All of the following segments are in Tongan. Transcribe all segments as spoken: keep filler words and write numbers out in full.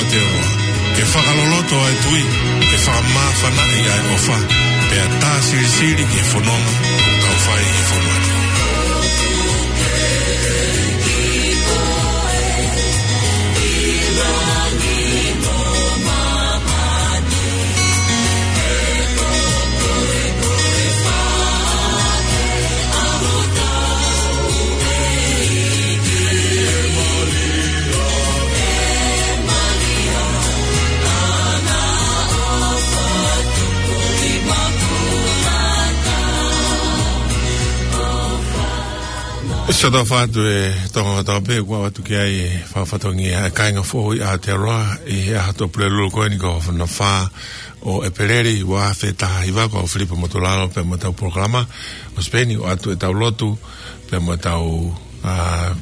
Te o ke fakaloloto ʻa e tui, ke fakamāfanaʻi ʻa e ʻofa, pea tā silisili ki he fononga ʻoku tau fai ʻi he fonua ni. Sio atu ʻa e Tonga kotoa pē, ʻoku ʻoatu ki ai e fakafatongia ʻa e kāinga foʻou ʻi Aotearoa ʻi he ʻaho Tuʻapulelulu ko eni, ko hono fā ʻo ʻEpeleli, ua afe taha hiva. Ko au Filipe Motulalo pea mo ʻetau polokalama ʻo Sipeni, ʻoatu ʻetau lotu pea mo ʻetau, ā,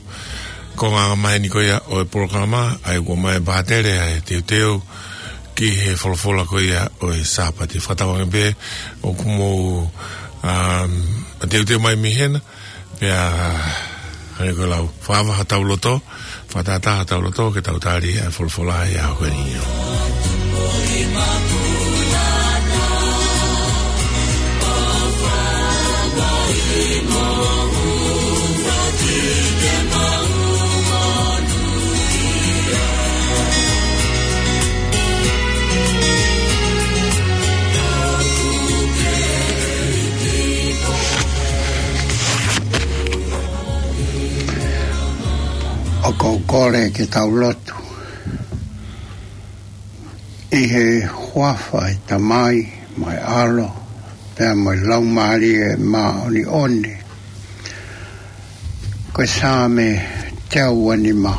konga angamaheni ko ia ʻo e polokalama, ʻa ia ʻoku ʻomai ʻe Pātele ʻa e teuteu ki he folofola ko ia ʻo e Sāpate. Fakatauange pē ʻoku mou, ā, teuteu mai mei hena, pea hangē ko e lau, fakaava hotau loto, fakatātā hotau loto, ke tau tali ʻa e folofola ʻi he ʻaho ko eni. ʻOku ou kole ke tau lotu. ʻI he huafa ʻo e Tamai, mo e ʻAlo, pea mo e Laumālie Māʻoniʻoni. Ko e Saame teau uanima.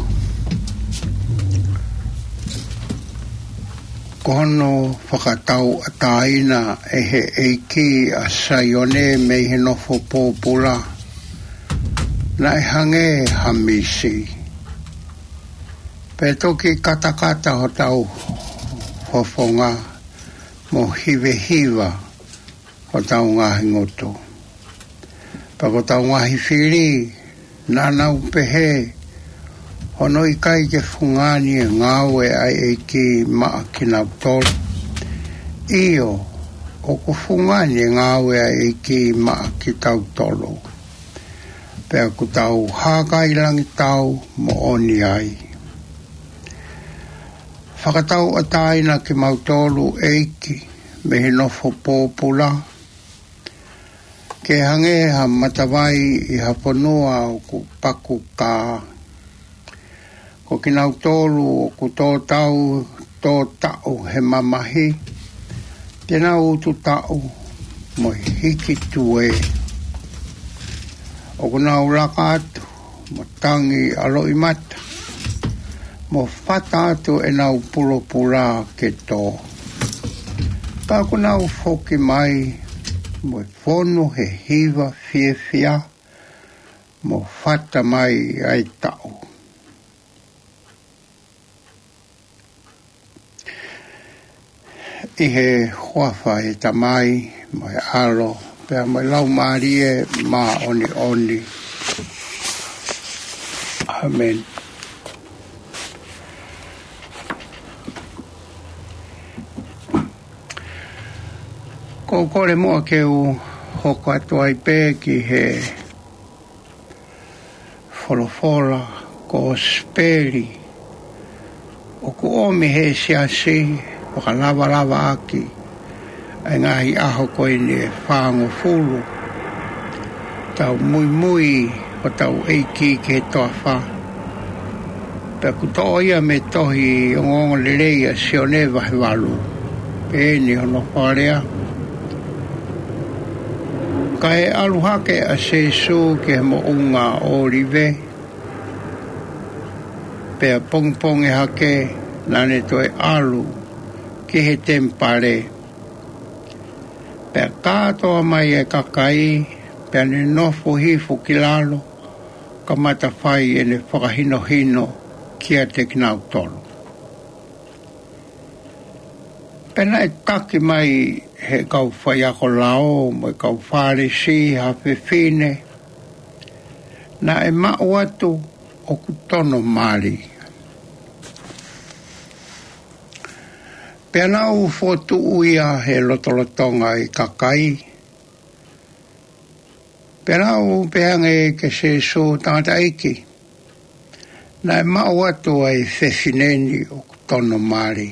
Ko hono fakatauʻatāina ʻe he ʻEiki ʻa Saione mei he nofo pōpula, naʻe hangē ha misi. Pea toki katakata hotau fofonga, mo hivehiva hotau ngaahi ngutu. Pea ko hotau ngaahi fili, naʻa nau pehē, hono ʻikai ke fungani e ngāue ʻa e ʻEiki maʻa kinautolu. ʻIo, ʻoku fungani e ngāue ʻa e ʻEiki maʻa kitautolu. Pea ʻoku tau hākailangitau moʻoni ai. Fakatauʻatāina kimautolu ʻEiki mei he nofo pōpula, ke hangē ha matavai ʻi ha fonua ʻoku pakukā. Ko kinautolu ʻoku tō tau, tō taʻu he mamahi, te nau utu taʻu mo e hiki tuē. ʻOku nau laka atu mo tangi ʻa loʻimata, mo fata atu ʻenau pulopula ke tō. Pea ʻoku nau foki mai mo e fonu he hiva fiefia, mo fata mai ʻa e taʻu. ʻI he huafa ʻo e Tamai, mo e ʻAlo, pea mo e Laumālie Māʻoniʻoni. ʻĀmeni. ʻOku ou kole muʻa ke u hoko atu ai pē ki he folofola, kosipeli ʻoku ʻomi ʻe he siasi, fakalavalava ʻaki ʻa e ngaahi ʻaho ko eni ʻe fāngofulu. Tau muimui hotau ʻEiki ki he toafa. Pea ʻoku toʻo ia mei he tohi ongoongolelei ʻa Sione vahe valu. Peheni hono fakalea: Kae ʻalu hake ʻa Sīsū ki he moʻunga ʻŌlive, pea pongipongi hake naʻa ne toe ʻalu ki he temipale. Pea kātoa mai e kakai, pea ne nofo hifo ki lalo, kamata fai ʻene fakahinohino kiate kinautolu. Pea naʻe taki mai ʻe he kau faiako lao mo e kau Fālesi ha fefine naʻe maʻu atu ʻoku tono mali. Pea nau fokotuʻu ia he lotolotonga ʻo e kakai. Pea nau pehē ange kia Sīsū, Tangataʻeiki, naʻe maʻu atu ʻa e fefine ni ʻoku tono mali.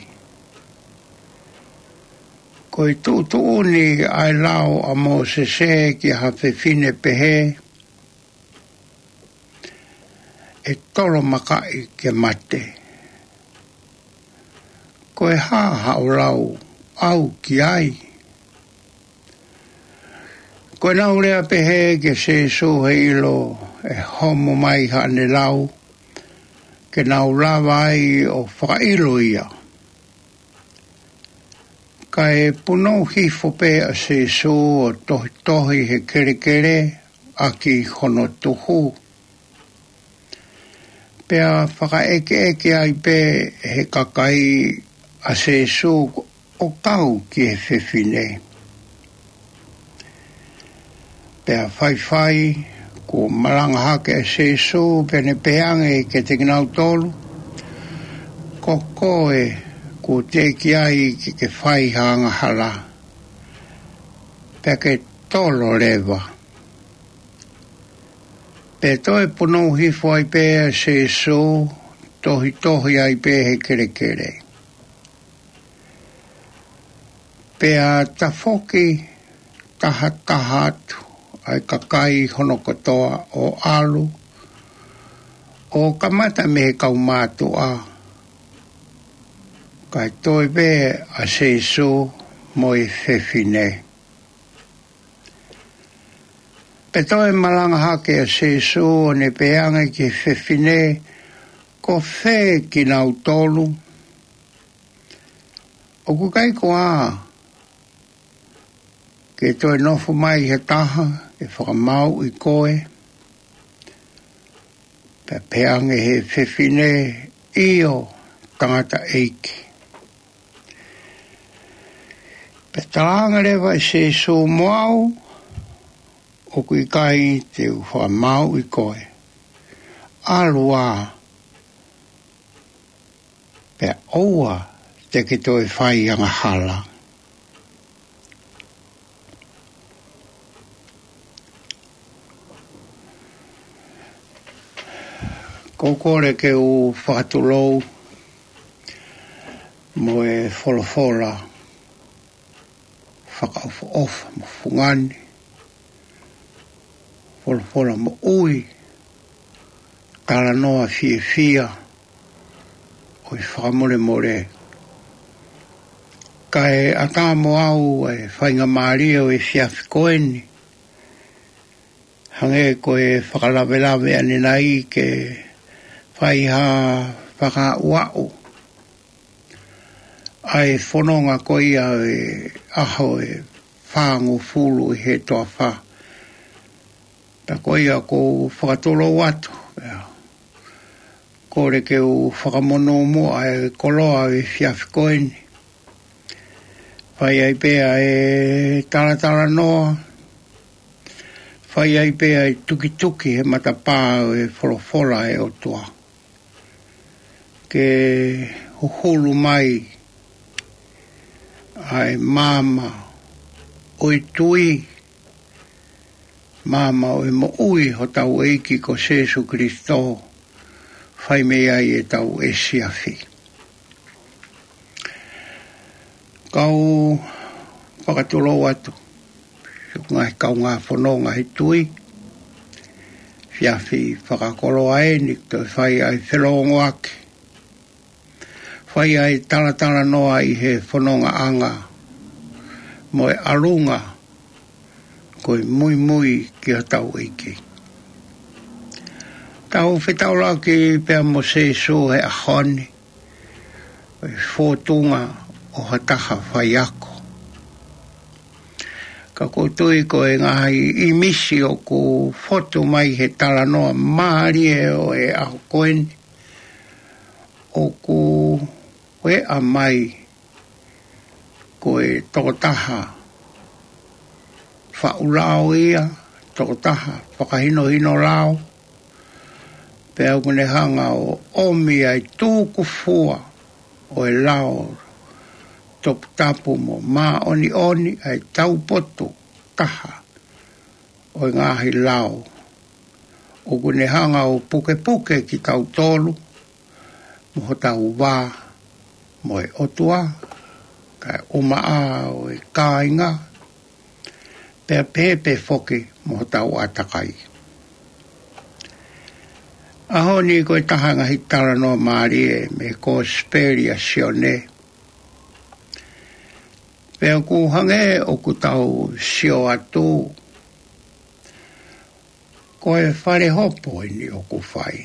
Ko e tuʻutuʻuni ʻa e lao ʻa Mōsese ki ha fefine pehē, ʻe tolomakaʻi ke mate. Ko e hā haʻo lau ʻau ki ai? Ko ʻenau lea pehē kia Sīsū he ʻilo ʻe homo mai haʻane lau, ke nau lava ai ʻo fakaʻilo ia. Kae punou hifo pē ʻa Sīsū ʻo tohitohi he kelekele ʻaki hono tuhu. Pea fakaʻekeʻeke ai pē he kakai ʻa Sīsū ʻo kau ki he fefine. Pea faifai, kuo malanga hake ʻa Sīsū, pea ne pehē ange kiate kinautolu, Ko koe kuo teʻeki ai ke ke fai ha angahala, pea ke tolo leva. Pea toe punou hifo ai pē ʻa Sīsū, tohitohi ai pē he kelekele. Pea tafoki tahataha atu ʻa e kakai hono kotoa ʻo ʻalu, ʻo kamata mei he kau mātuʻa, kae toe pē ʻa Sīsū mo e fefine. Pea toe malanga hake ʻa Sīsū ʻo ne pehē ange ki he fefine, Ko fē kinautolu? ʻOku ʻikai ko ā ke toe nofo mai ha taha ke fakamāuʻi koe? Pea pehē ange he fefine, ʻIo, Tangataʻeiki. Pea talaange leva ʻe Sīsū, Mo au, ʻoku ʻikai te u fakamāuʻi koe. ʻAlu ā, pea ʻoua te ke toe fai angahala. Ko e kole ke u fakatulou mo e folofola fakaʻofoʻofa mo fungani, folofola moʻui, talanoa fiefia ʻo e fakamolemole. Kae ʻatā mo au e faingamālie ʻo e efiafi ko eni, hangē ko e fakalavelave ʻanenai, ke fai ha fakaaʻuaʻu ʻa e fononga ko ia ʻo e ʻaho ʻe fāngofulu ʻi he toafa. Pea ko ia ʻoku ou fakatulou atu, ʻio, kole ke u fakamonū muʻa e koloa ʻo e efiafi ko eni. Fai ai pē ʻa e talatalanoa, fai ai pē ʻa e tukituki he matapā ʻo e folofola ʻa e ʻOtua, ke huhulu mai ʻa e maama ʻo e tui, maama ʻo e moʻui hotau ʻEiki ko Sīsū Kalaisi, fai mei ai ʻetau efiafi. Kau fakatulou atu, siʻoku ngaahi kaungā fononga he tui, efiafi fakakoloa eni, toe fai ʻa e felōngoaki, fai ʻa e talatalanoa ʻi he fonongaʻanga mo e ʻalunga ko e muimui ki hotau ʻEiki. Tau fetaulaki pea mo Sīsū he ʻaho ni, ʻi he fōtunga ʻo ha taha faiako. Ka ʻoku ou tui ko e ngaahi ʻīmisi ʻoku fotu mai he talanoa mālie ʻo e ʻaho ko eni, ʻoku ʻeʻa mai ko e tokotaha faʻu lao ia, tokotaha fakahinohino lao, pea ʻoku ne hanga ʻo ʻomi ʻa e tukufua ʻo e lao toputapu mo māʻoniʻoni ʻa e taupotu taha ʻo e ngaahi lao ʻoku ne hanga ʻo pukepuke kitautolu mo hotau vā mo e ʻOtua, kae ʻumaʻā ʻo e kāinga, pea pehē pē foki mo hotau ʻātakai. ʻAho ni ko e taha e ngaahi talanoa mālie mei he Kosipeli ʻa Sione. Pea ʻoku hangē ʻoku tau sio atu, ko e fale hopo eni ʻoku fai.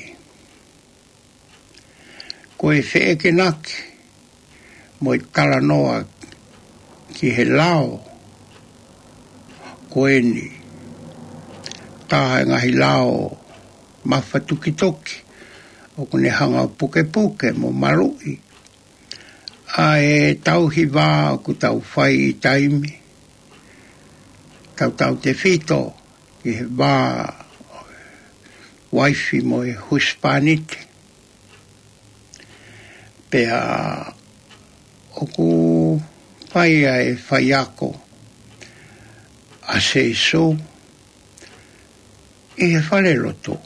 Ko e feʻekenaki mo e talanoa ki he lao ko eni. Taha e ngaahi lao mafatukituki ʻoku ne hanga ʻo pukepuke mo maluʻi ʻa e tauhi vā ʻoku tau fai ʻi taimi, tautautefito ki he vā uaifi mo e husepāniti. Pea ʻoku fai ʻa e faiako ʻa Sīsū ʻi he falelotu.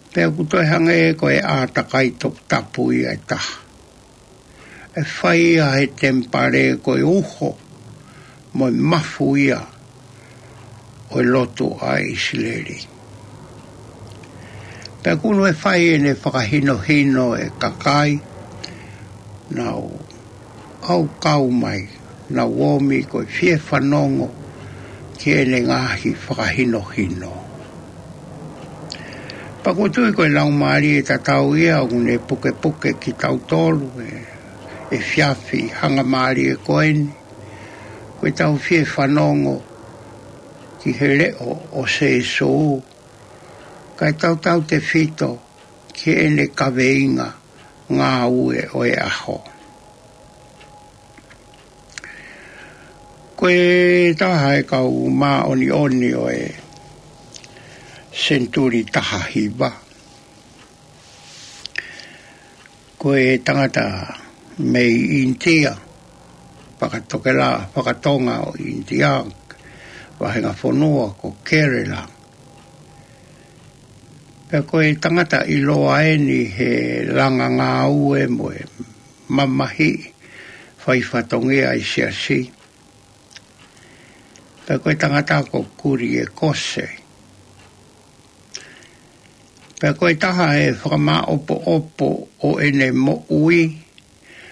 Pea ʻoku toe hangē ko e ʻātakai toputapu ia ʻe taha. ʻE fai ia he temipale ko e uho mo e mafu ia ʻo e lotu ʻa ʻIsileli. Pea ʻoku ne fai ʻene fakahinohino e kakai, nau ʻau kau mai, nau ōmi ko e fie fanongo ki heʻene ngaahi fakahinohino. Pea ʻoku ou tui ko e laumālie tatau ia ʻoku ne pukepuke kitautolu he efiafi hangamālie ko eni, ko ʻetau fie fanongo ki he leʻo ʻo Sīsū, kae tautautefito ki heʻene kaveinga ngāue ʻo e ʻaho. Ko e taha e kau māʻoniʻoni ʻo e senituli taha hiva, ko e tangata mei ʻInitia, fakatokelā, fakatonga ʻo ʻInitia, vahenga fonua ko Kerala. Pea ko e tangata ʻiloa eni he langa ngāue mo e mamahiʻi fai fatongia ʻi he siasi. Pea ko e tangata ko Kuliekose. Pea ko e taha e fakamāʻopoʻopo ʻo ʻene moʻui,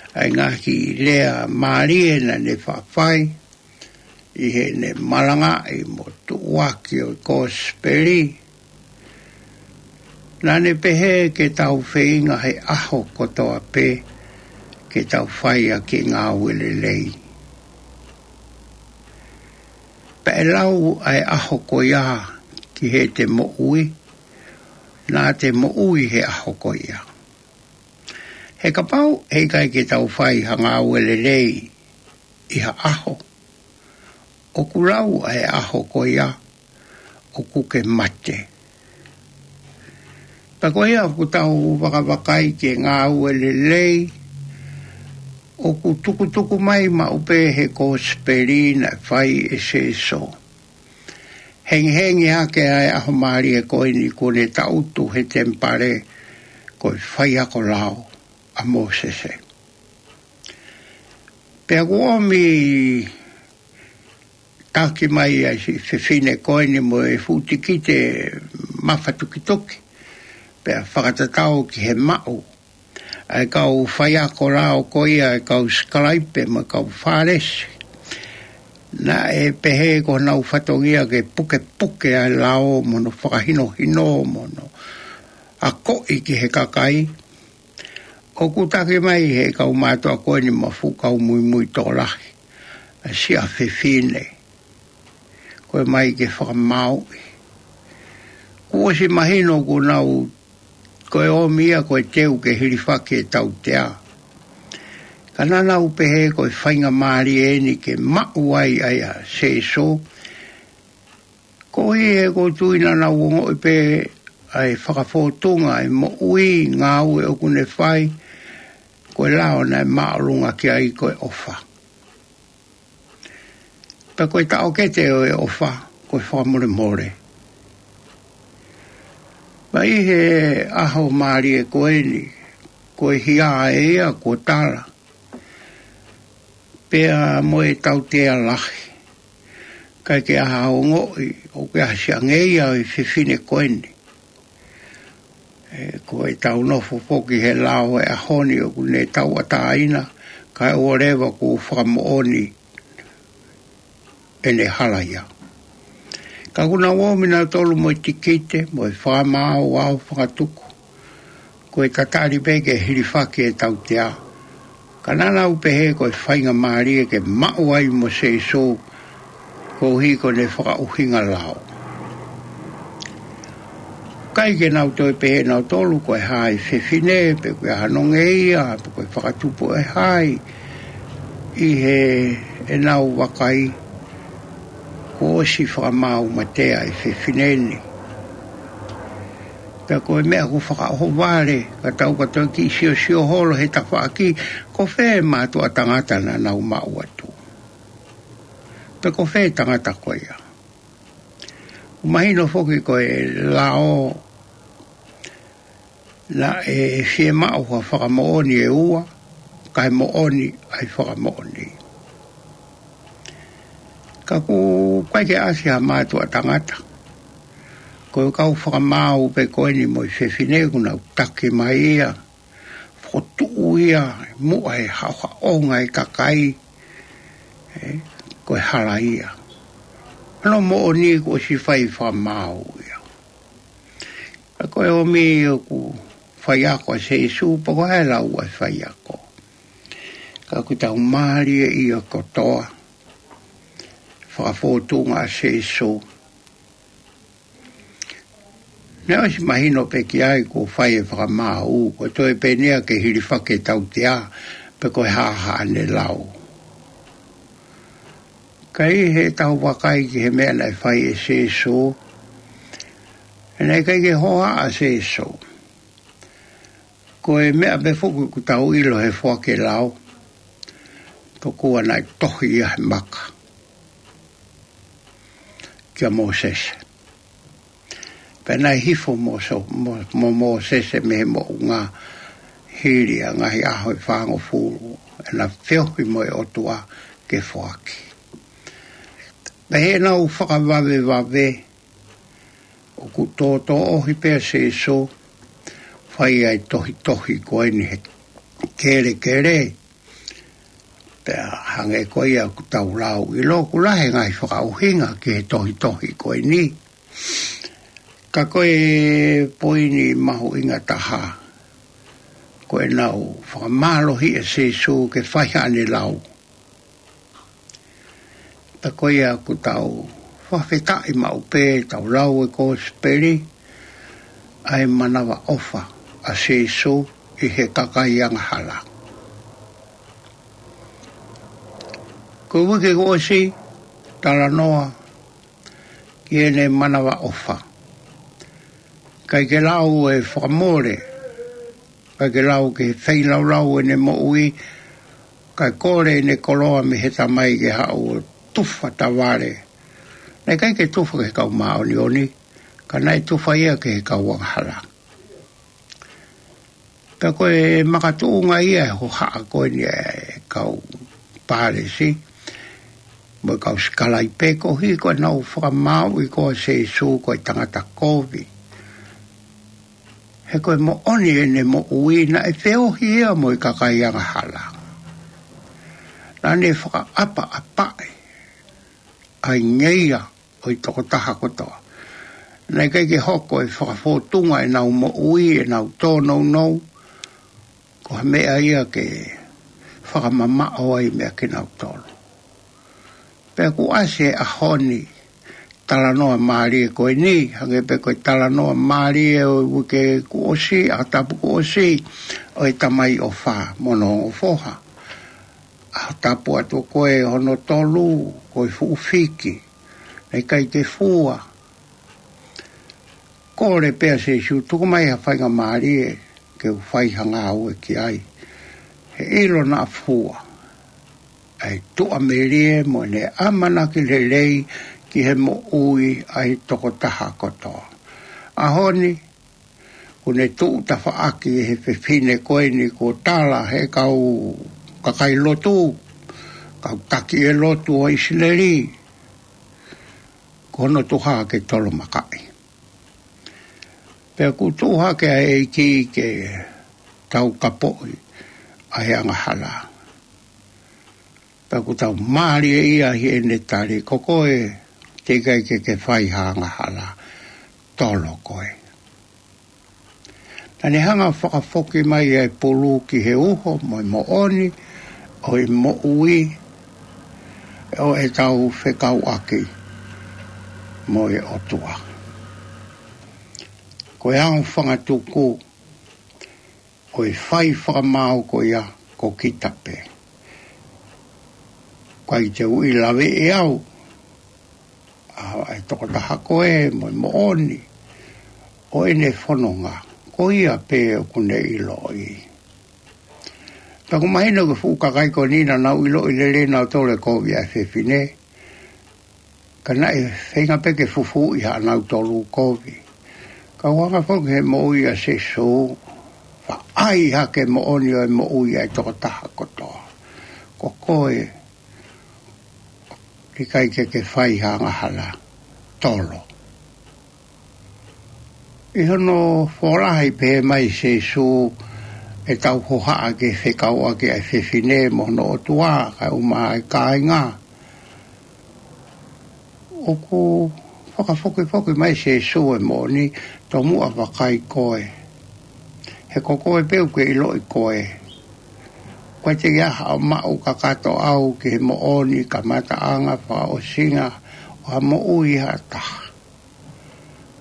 ʻa e ngaahi lea mālie naʻa ne faʻa fai ʻi heʻene malangaʻi mo tuʻuaki ʻo e Kosipeli. Naʻa ne pehē ke tau feinga he ʻaho kotoa pē ke tau fai ʻaki e ngāue lelei. Pea ʻe lau ʻa e ʻaho ko ia ki heʻete moʻui, naʻa te moʻui he ʻaho ko ia. He kapau ʻe ʻikai ke tau fai ha ngāue lelei ʻi ha ʻaho, ʻoku lau ʻa e ʻaho ko ia ʻoku ke mate. Pea ko ia ʻoku tau vakavakai ki he ngāue lelei, ʻoku tukutuku mai maʻu pē he Kosipeli naʻe fai ʻe Sīsū. Hengihengi hake ʻa e ʻaho mālie ko eni kuo ne tangutu he temipale ko e faiako lao ʻa Mōsese. Pea ʻoku ʻomi taki mai ʻa e siʻi fefine ko eni mo e fuʻu tikite mafatukituki. Pea fakatatau ki he maʻu ʻa e kau faiako lao ko ia ʻa e kau sikalaipe mo e kau Fālesi. Naʻe pehē ko honau fatongia ke pukepuke ʻa e lao mo hono fakahinohino mo hono akoʻi ki he kakai. ʻOku taki mai he kau mātuʻa ko eni mo e fuʻu kau muimui tokolahi ʻa e siʻa fefine ko e mai ke fakamāuʻi. Kuo ʻosi mahino kuo nau ko e ʻomi ia ko e teu ke hilifaki e tautea. Ka naʻa nau pehē ko e faingamālie eni ke maʻu ai ʻa ia Sīsū. Koeʻuhi he ʻoku ou tui naʻa nau ongoʻi pē ʻa e fakafōtunga ʻa e moʻui, ngāue ʻoku ne fai, ko e lao naʻe māʻolunga ki ai ko e ʻofa. Pea ko e taʻokete ʻo e ʻofa, ko e fakamolemole. Pea ʻi he ʻaho mālie ko eni, ko e hia ʻe ia kuo tala, pea mo e tautea lahi. ʻIkai ke ʻi ai ha ongoʻi ʻoku ʻi ai ha siʻi ange ia ʻo e fefine ko eni. ʻE, ko e tau nofo foki he lao ʻo e ʻaho ni ʻoku ne tauʻatāina, kae ʻoua leva kuo fakamoʻoni ʻene hala ia. Ka kuo nau ō mai nautolu mo e tikite, mo e fakamaau ʻo fakatuku. Ko e tatali pē ke hilifaki e tautea. Ka naʻa nau pehē ko e faingamālie ke maʻu ai mo Sēsū, koeʻuhi ko ʻene fakaʻuhinga lao. ʻIkai ke nau toe pehē nautolu ko e hā e fefine, pe ko e hā hono ngeia, pe ko e fakatupu ʻe hai, ʻi heʻenau vakai, kuo ʻosi fakamaau mate ʻa e fefine ni. Pea ko e meʻa ʻoku fakaʻohovale, ka tau ka toe kiʻi siosio holo he tafaʻaki, ko fē mātuʻa tangata naʻa nau maʻu atu. Pea ko fē tangata ko ia. ʻOku mahino foki ko e lao naʻe fiemaʻu ha fakamoʻoni ʻe ua, kae moʻoni ʻa e fakamoʻoni. Ka ʻoku ʻikai ke ʻasi ha mātuʻa tangata. Ko e kau fakamaau pē ko eni mo e fefine kuo nau taki mai ia. Fokotuʻu ia, muʻa e haʻohaʻonga e kakai, ē, ko e hala ia. Hono moʻoni kuo ʻosi fai fakamaau ia. Ka ko e ʻomi ʻoku faiako ʻa Sēsū, pea ko e lau ʻa e faiako. Ka ʻoku tau mālie ia kotoa, fakafōtunga ʻa Sēsū. Naʻe ʻosi mahino pē ki ai kuo fai e fakamaau, ko e toe pē eni ia ke hilifaki e tautea, pe ko e hā haʻane lau. Ka ʻi heʻetau vakai ki he meʻa naʻe fai ʻe Sēsū, naʻe ʻikai ke hoa ʻa Sēsū. Ko e meʻa pē foki ʻoku tau ʻilo he foaki e lao, tokua naʻe tohi ia he maka kia Mōsese. Pea naʻe hifo mo, so, mo, mo Mōsese mei he moʻunga hili ʻa e ngaahi ʻaho ʻe fāngofulu, ʻena feohi mo e ʻOtua ke foaki. Pea heʻenau fakavavevave, ʻoku tōtōʻohi pē ʻa Sēsū, fai ai tohitohi ko eni he kelekele, pea hangē ko ia ʻoku tau lau ʻilo ʻoku lahi e ngaahi fakaʻuhinga ki he tohitohi ko eni. Ka ko e poini mahuʻinga taha, ko ʻenau fakamālohi ʻa Sēsū ke fai haʻane lau. Pea ko ia ʻoku tau fakafetaʻi maʻu pē tau lau e kosipeli, ʻa e manavaʻofa ʻa Sēsū ʻi he kakai angahala. Ko e uike kuo ʻosi, talanoa ki heʻene manavaʻofa. ʻIkai ke lau e fakamole, ʻikai ke lau ke feilaulau ʻene moʻui, kae kole ʻene koloa mei he Tamai ke haʻu ʻo tufa tavale. Naʻe ʻikai ke tufa ki he kau māʻoniʻoni, ka naʻe tufa ia ki he kau angahala. Pea ko e makatuʻunga ia e hohaʻa ko eni e kau Pālesi, mo e kau sikalaipe koeʻuhi ko ʻenau fakamāuʻi ko ē ʻa Sēsū ko e tangata kovi. He ko e moʻoni ʻene moʻui naʻe feohi ia mo e kakai angahala. Naʻa ne fakaʻapaʻapaʻi ʻa e ngeia ʻo e tokotaha kotoa. Naʻe ʻikai ke hoko e fakafōtunga ʻenau moʻui, ʻenau tōnounou, ko ha meʻa ia ke fakamamaʻo ai meʻa kinautolu. Pea kuo ʻasi e ʻaho ni, talanoa mālie ko eni, hangē pē ko e talanoa mālie ʻo e uike kuo ʻosi, ʻaho tapu kuo ʻosi, ʻo e tamai ʻofa mo hono ongo foha. ʻAho tapu atu ko ē hono tolu, ko e fuʻu fiki. Naʻe ʻikai ke fua. Kole pē ʻa Sēsū, tuku mai ha faingamālie ke u fai ha ngāue ki ai. ʻilo naʻa fua ʻa e tuʻamelie mo ʻene ʻamanaki lelei ki he moʻui ʻa e tokotaha kotoa. ʻAho ni, kuo ne tuʻu tafaʻaki he fefine ko eni kuo tala he kau kakai lotu, kau taki ʻe lotu ʻo ʻIsileli, ko hono tuha ke tolomakaʻi. Pea kuo tuʻu hake ʻa e ʻEiki ke taukapoʻi ʻa e angahala. Pea kuo tau mālieʻia ʻi heʻene tali, ko koe, teʻeki ai ke ke fai ha angahala, tolo koe. Naʻa ne hanga ʻo fakafoki mai ʻa e pulu ki he uho mo e moʻoni ʻo e moʻui ʻo ʻetau fekauʻaki mo e ʻOtua. Ko e aofangatuku ʻo e fai fakamaau ko ia ko kita pē. ʻIkai te u ʻi laveʻi au ʻa e tokotaha ko ē mo e moʻoni ʻo ʻene fononga, ko ia pē ʻoku ne ʻiloʻi. Pea ʻoku mahino ko e fuʻu kakai ko eni naʻa nau ʻiloʻi lelei nautolu e kovi ʻa e fefine. Ka naʻe feinga pē ke fufuuʻi haʻanautolu kovi. Ka ʻoku hanga foki he moʻui ʻa Sīsū, faʻai hake moʻoni ʻo e moʻui ʻa e tokotaha kotoa. Ko koe, ʻikai ke ke fai ha angahala, tolo. ʻI hono folahi pehē mai Sīsū ʻetau hohaʻa ke fekauʻaki ʻa e fefine mo hono ʻOtua, kae ʻumaʻā e kāinga. ʻOku fakafokifoki mai Sīsū e moʻoni, tomuʻa vakai koe. He ko koe pē ʻoku ke ʻiloʻi koe. ʻOku ʻikai te u ʻi ai haʻo maʻu kakato au ki he moʻoni, kamataʻanga, fakaʻosinga ʻo ha moʻui ha taha.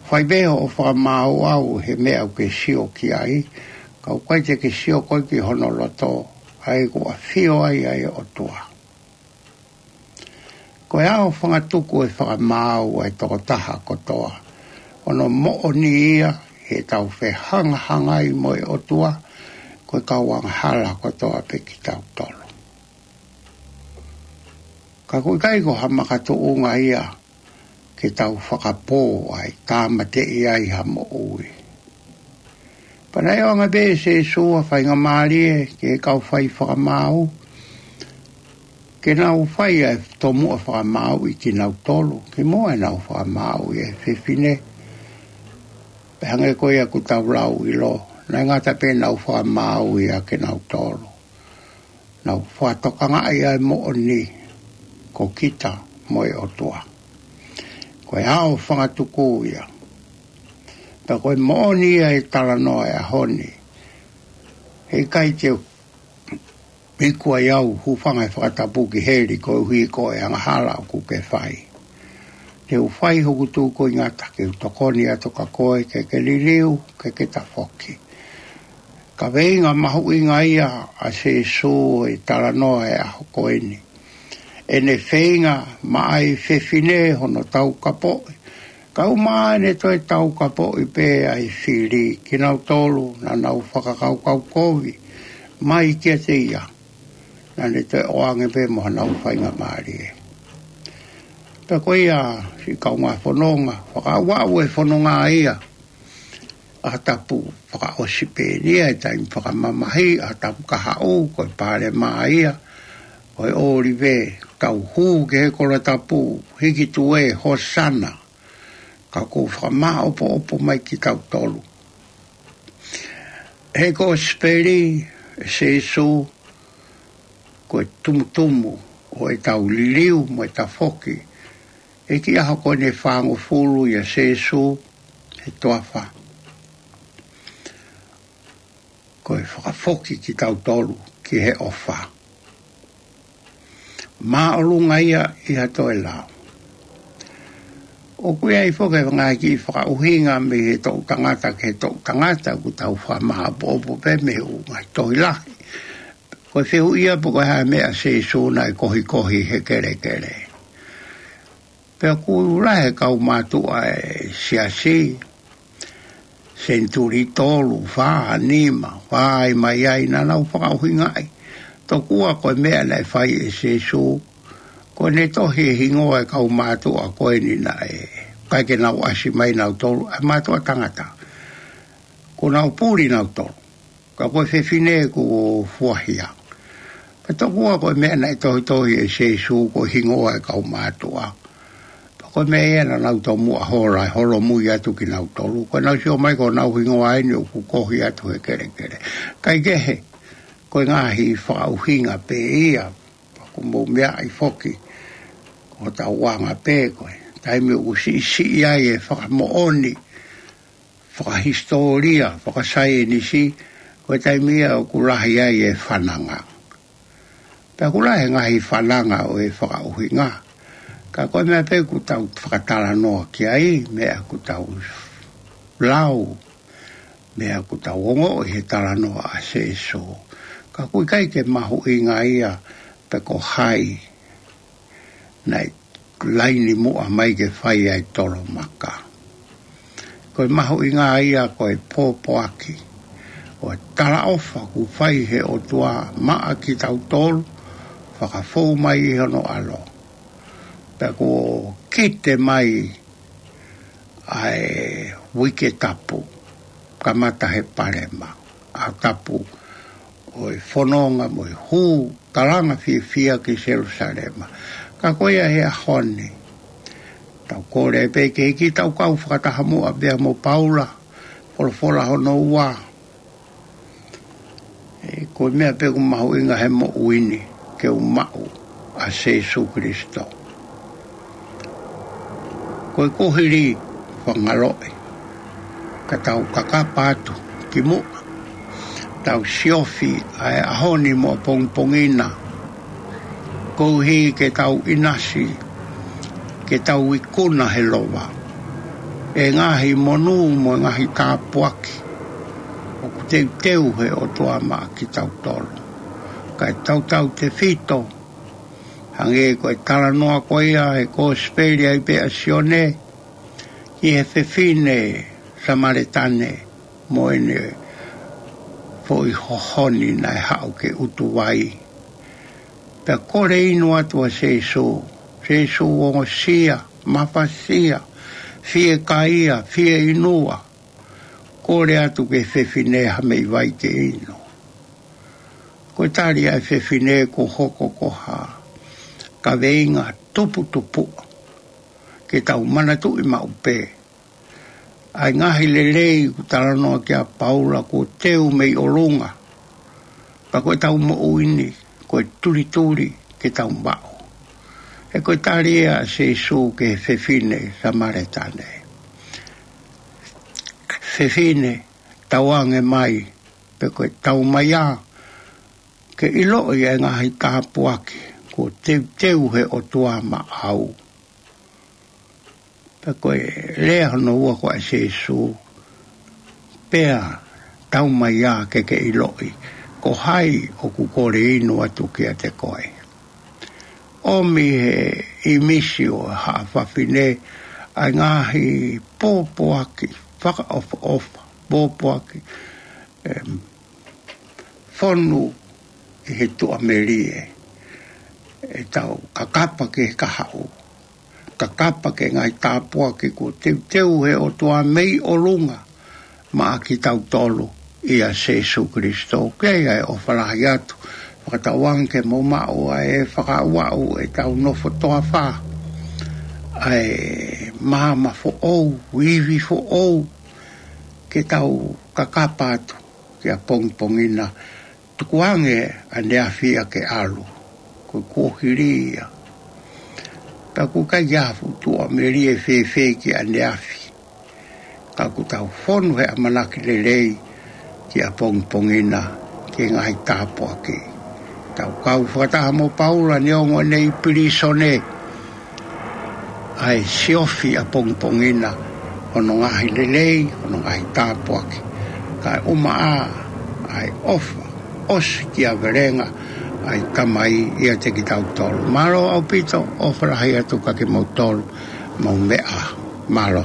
Fai pē hoʻo fakamaau au he meʻa ʻoku ke sio ki ai, ka ʻoku ʻikai te ke sio koe ki hono loto, ʻa ia ʻoku ʻafio ai ʻa e ʻOtua. Ko e aofangatuku e fakamaau ʻa e tokotaha kotoa, ʻo hono moʻoni ia heʻetau fehangahangai mo e ʻOtua, ko e kau angahala kotoa pē kitautolu. Ka ʻoku ʻikai ko ha makatuʻunga ia ke tau fakapō ai, tāmateʻi ai ha moʻui. Pea naʻe ʻoange pē ʻe Sīsū ha faingamālie ki he kau fai fakamaau, ke nau fai ʻa e tomuʻa fakamaauʻi kinautolu, kimuʻa ʻenau fakamaauʻi e fefine. Pea hangē ko ia ʻoku tau lau ʻilo, naʻe ngata pē ʻenau fakamaauʻi ʻa kinautolu. Nau fakatokangaʻi ʻa e moʻoni ko kita mo e ʻOtua. Ko e aofangatuku ia. Pea ko e moʻoni ia e talanoa e ʻaho ni. Heʻikai te u iku ai au, hūfanga he fakatapu ki heli koeʻuhi ko e angahala ʻoku ke fai. Te u fai hoku tūkuingata ke u tokoni atu kia koe ke ke liliu, ke ke tafoki. Kaveinga mahuʻinga ia ʻa Sīsū ʻi he talanoa e ʻaho ko eni. ʻEne feinga maʻa e fefine hono taukapoʻi. Kae ʻumaʻā ʻene toe taukapoʻi pē ʻa e fili, kinautolu naʻa nau fakakaukau kovi mai kiate ia. Naʻa ne toe ʻoange pē mo haʻanau faingamālie. Pea ko ia, siʻi kaungā fononga, fakaaʻu e fononga ia. ʻAho Tapu fakaʻosi pē eni ia e taimi fakamamahi, ʻAho Tapu kahaʻu, ko e Palesiteni ia ʻo e ʻŌlive, tau hū ki he kolo tapu, hiki tuē, Hosana. Ka ʻoku fakamāʻopoʻopo mai kitautolu. He Kosipeli ʻa Sīsū, ko e tumutumu ʻo ʻetau liliu mo e tafoki. ʻI he kiʻi ʻaho ko eni ʻe fāngofulu ʻia Sīsū he toafa. Ko e fakafoki kitautolu ki he ʻofa. Māʻolunga ia ʻi ha toe lao. ʻOku ʻi ai foki e ngaahi kiʻi fakaʻuhinga mei he toʻu tangata ki he toʻu tangata, ʻoku tau fakamāʻopoʻopo pē mei he ʻū ngaahi tohi lahi. Ko e fehuʻi ia pe ko e hā e meʻa ʻa Sīsū naʻe kohikohi he kelekele. Pea ʻoku lahi e kau mātuʻa e siasi, senituli tolu, fā, nima, fai mai ai naʻa nau fakaʻuhingaʻi. Tokua ko e meʻa naʻe fai ʻe Sēsū, ko ʻene tohi e hingoa e kau mātuʻa ko eni naʻe ʻikai ke nau ʻasi mai nautolu, ʻa e mātuʻa tangata. Kuo nau puli nautolu. Ka ko e fefine kuo fuahia. Pea tokua ko e meʻa naʻe tohitohi ʻe Sēsū ko e hingoa e kau mātuʻa. Pea ko e meʻa ia naʻa nau tomuʻa hola, e holomui atu kinautolu. Ko ʻenau sio mai ko honau hingoa eni ʻoku kohi atu he kelekele. Kaikehe, ko e ngaahi fakaʻuhinga pē ia, pea ʻoku mou meaʻi foki, ko hotau anga pē ko e taimi ʻoku siʻisiʻi ai e fakamoʻoni, fakahisitōlia, fakasaienisi, ko e taimi ia ʻoku lahi ai e fananga. Pea ʻoku lahi e ngaahi fananga ʻo e fakaʻuhinga. Ka ko e meʻa pē ʻoku tau fakatalanoa ki ai, meʻa ʻoku tau lau, meʻa ʻoku tau ongoʻi he talanoa ʻa Sēsū. Ka ʻoku ʻikai ke mahuʻinga ia pe ko hai naʻe laini muʻa mai ke fai ai tolomaka. Ko e mahuʻinga ia ko e pōpoaki ʻo e talaʻofa kuo fai he ʻOtua maʻa kitautolu, fakafou mai ʻi hono ʻAlo. Pea kuo kite mai ʻa e uike tapu, kamata he palema, ʻaho tapu ʻo e fononga mo e hū, kalanga fiefia ki Selūsalema. Ka ko ia he ʻaho ni, tau kole pē ke ke tau kau fakataha muʻa pea mo Paula, folofola hono ua. ʻE, ko e meʻa pē ʻoku mahuʻinga he moʻui ni ke u maʻu ʻa Sēsū Kilisitō. Ko e kuohili, fakangaloʻi, ka tau kakapa atu ki muʻa. Tau siofi ʻa e ʻaho ni mo ʻapongipongi na. Koeʻuhi ke tau ʻinasi, ke tau ikuna he lova ʻe he ngaahi monū mo e ngaahi tāpuaki ʻoku teuteu he ʻOtua maʻa kitautolu. Kae tautautefito, hangē ko e talanoa ko ia he Kosipeli ai pē ʻa Sione, ki he fefine Samaletane mo ʻene foʻi hohoni naʻe haʻu ke ʻutu vai. Pea kole inu atu ʻa Sēsū, Sēsū ongosia, mafasia, fiekaia, fieinua, kole atu ki he fefine ha meʻi vai ke inu. Ko e tali ʻa e fefine kuo hoko ko ha kaveinga tuputupuʻa, ke tau manatuʻi maʻu pē ʻa e ngaahi lelei ʻoku talanoa ki ai ʻa Paula kuo teu mei ʻolunga. Pea ko ʻetau moʻui ni, ko e tulituli ke tau maʻu. He ko e tali ia ʻa Sēsū ki he fefine Samaletane. Fefine, tauange mai, pe ko e taumaiā, ke ʻiloʻi ʻa e ngaahi tāpuaki kuo teuteu he ʻOtua maʻau. Pea ko e lea hono ua ko ē ʻa Sēsū, pea taumaiā ke ke ʻiloʻi ko hai ʻoku kole inu atu kiate koe. ʻOmi he ʻīmisi ʻo e haʻa fafine ʻa e ngaahi pōpoaki fakaʻofoʻofa, pōpoaki, em, fonu ʻi he tuʻamelie. ʻEtau kakapa ki he kahaʻu, kakapa ki he ngaahi tāpuaki kuo teuteu he ʻOtua mei ʻolunga maʻa kitautolu ʻia Sēsū Kilisitō. Ke ʻai ʻa e ʻofa lahi atu, fakatauange ke mou maʻu ʻa e fakaaʻuaʻu ʻetau nofo toafa, ʻa e maama foʻou, ivi foʻou, ke tau kakapa atu ki ʻapongipongi na. Tukuange ʻaneafi ia ke ʻalu, ko e kuohili ia. Pea ʻoku ʻikai ha fuʻu tuʻamelie fēfē ki ʻaneafi, ka ʻoku tau fonu he ʻamanaki lelei ki ʻapongipongi na, ki he ngaahi tāpuaki. Tau kau fakataha mo Paula neongo ʻene ʻi pilīsone, ʻa e siofi ʻapongipongi na hono ngaahi lelei, hono ngaahi tāpuaki. Kae ʻumaʻā ʻa e ʻofa ʻosikiavelenga ʻa e Tamai ʻiate kitautolu. Mālō ʻaupito, ʻofa lahi atu kiate kimoutolu, mou meʻa ā. Mālō.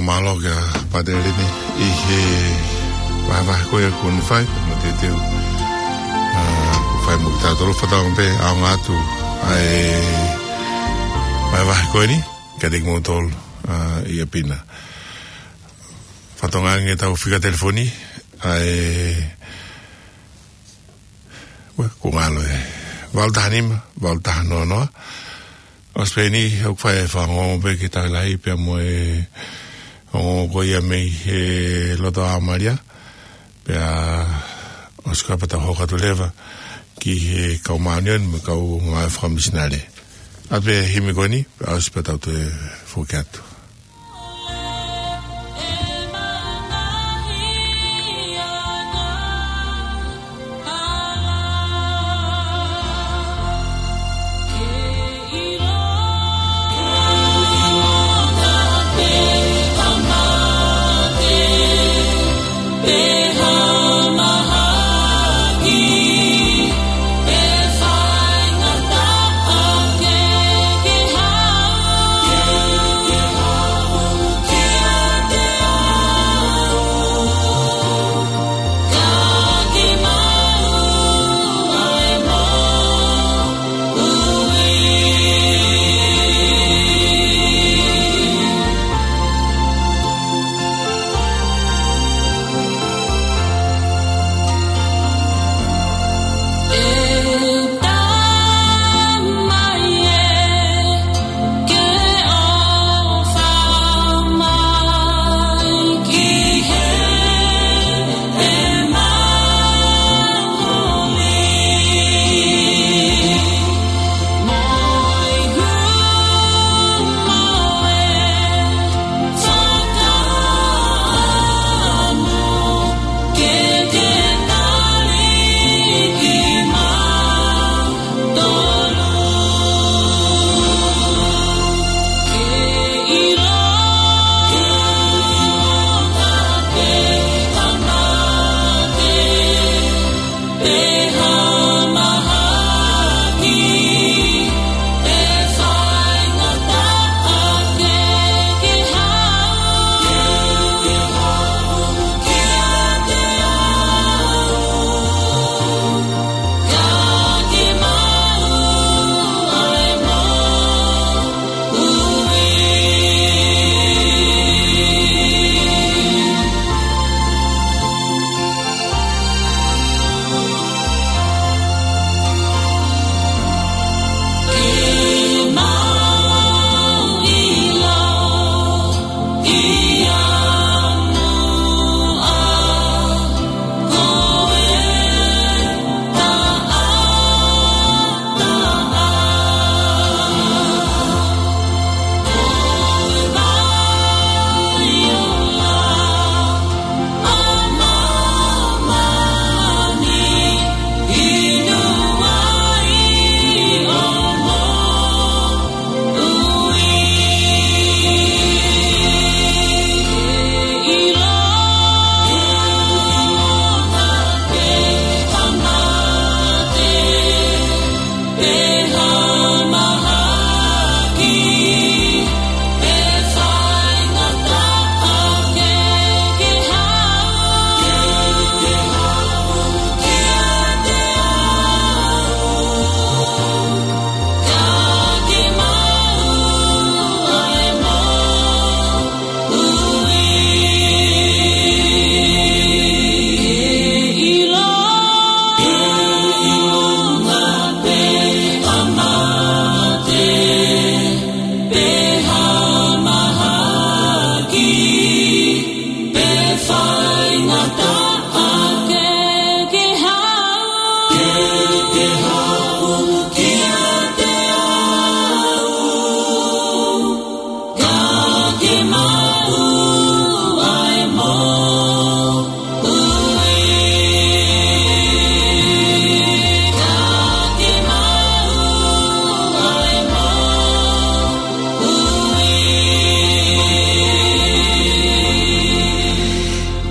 Mālō kia Pātele ni ʻi he vahevahe ko ia kuo ne fai, mo te teu. ʻA, kuo fai mo kitautolu fakataha pē, ʻaonga atu ʻa e vahevahe ko eni, kiate kimoutolu, ʻa, ʻi ʻapi na. Fakatokangaʻi ange ʻetau fika telefoni, ʻa e, ue, kuo ngalo e, valu taha nima, valu taha noa noa. ʻOsi pē eni, ʻoku fai e fanongo pē ki he tau lahi, pea mo e ongo ko ia mei he loto ʻa Malia. Pea ʻosi ko ia pea tau hoko atu leva ki he kau māʻoniʻoni mo e kau ngāue fakamisinale. ʻA e himi ko eni, pea ʻosi pea tau toe foki atu.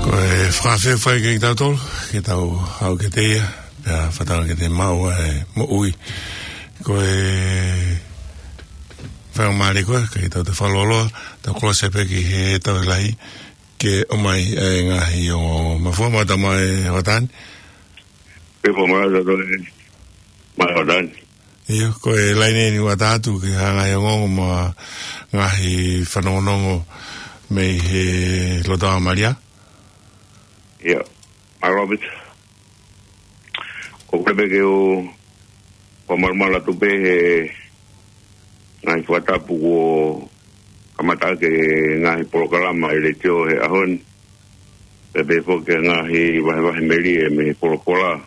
Ko e fakafeʻiloaki kiate kitautolu, ke tau haʻu kiate ia, pea fakatauange ke te maʻu ʻa e moʻui. Ko e Faingamālie koe, kae tau toe fakalōloa, tau kolose pē ki he tau lahi, ke ʻomai e ngaahi ongo mafua. Mālō e tama e Hoatani. Pea mālō e tama e Hoatani. ʻIo, ko e laine ni ʻoku ʻatā atu ki he ngaahi ongoongo mo e ngaahi fanongonongo mei he lotoʻā Malia. ʻIo, mālō Pita. ʻOku ou kole pē ke u fakamalumalu atu pē he ngaahi fakatapu kuo kamata ʻaki e ngaahi polokalama ʻa e letiō he ʻaho ni. Pea pehē foki ki he ngaahi vahevahe melie mei he folofola.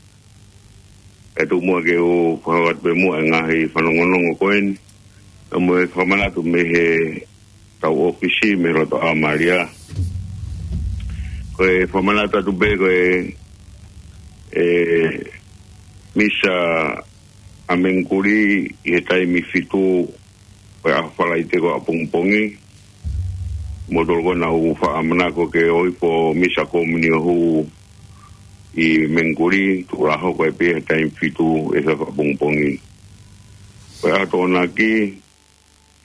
Pea tuku muʻa ke u fakahoko atu pē muʻa e ngaahi fanongonongo ko eni. Pea mo e fakamanatu mei he tau ʻōfisi mei lotoʻā Malia. Ko e fakamanatu atu pē ko e, e misa ʻa Mengikuli ʻi he taimi fitu ʻo e ʻaho Falaite ko ē ʻapongipongi. Mo tolo ko ena ʻoku faʻa manako ke ʻohifo misa kominio hū ʻi Mengikuli, tuʻu lā hoko ai pē he taimi fitu ʻo e efiafi ʻapongipongi. Ko e ʻaho Tokonaki,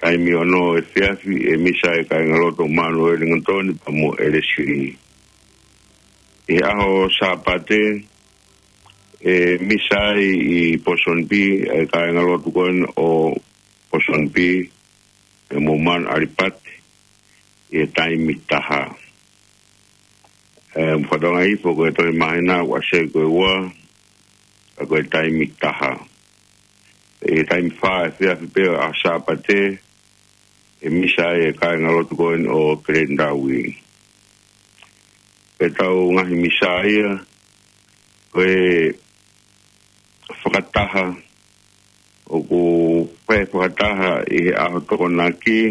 taimi ono efiafi, ʻe misa e kāingalotu ʻo Manueli Ngatoni pea mo ʻElesi. ʻI he ʻaho Sāpate, ʻe misa ai ʻi Pōsoni Pī e kāingalotu ko ena ʻo Pōsoni Pī, ʻe mo Manu ʻAlipate, ʻi he taimi taha. ʻE, mo fakatonga hifo ko e tohi māhina ʻoku ʻasi ai ko e ua, ka ko e taimi taha. ʻI he taimi fā efiafi pē ʻo e ʻaho Sāpate, ʻe misa ai e kāingalotu ko ena ʻo Glendower. Pea tau ngaahi misa ia, ko e fakataha, ʻoku pē fakataha ʻi he ʻaho Tokonaki,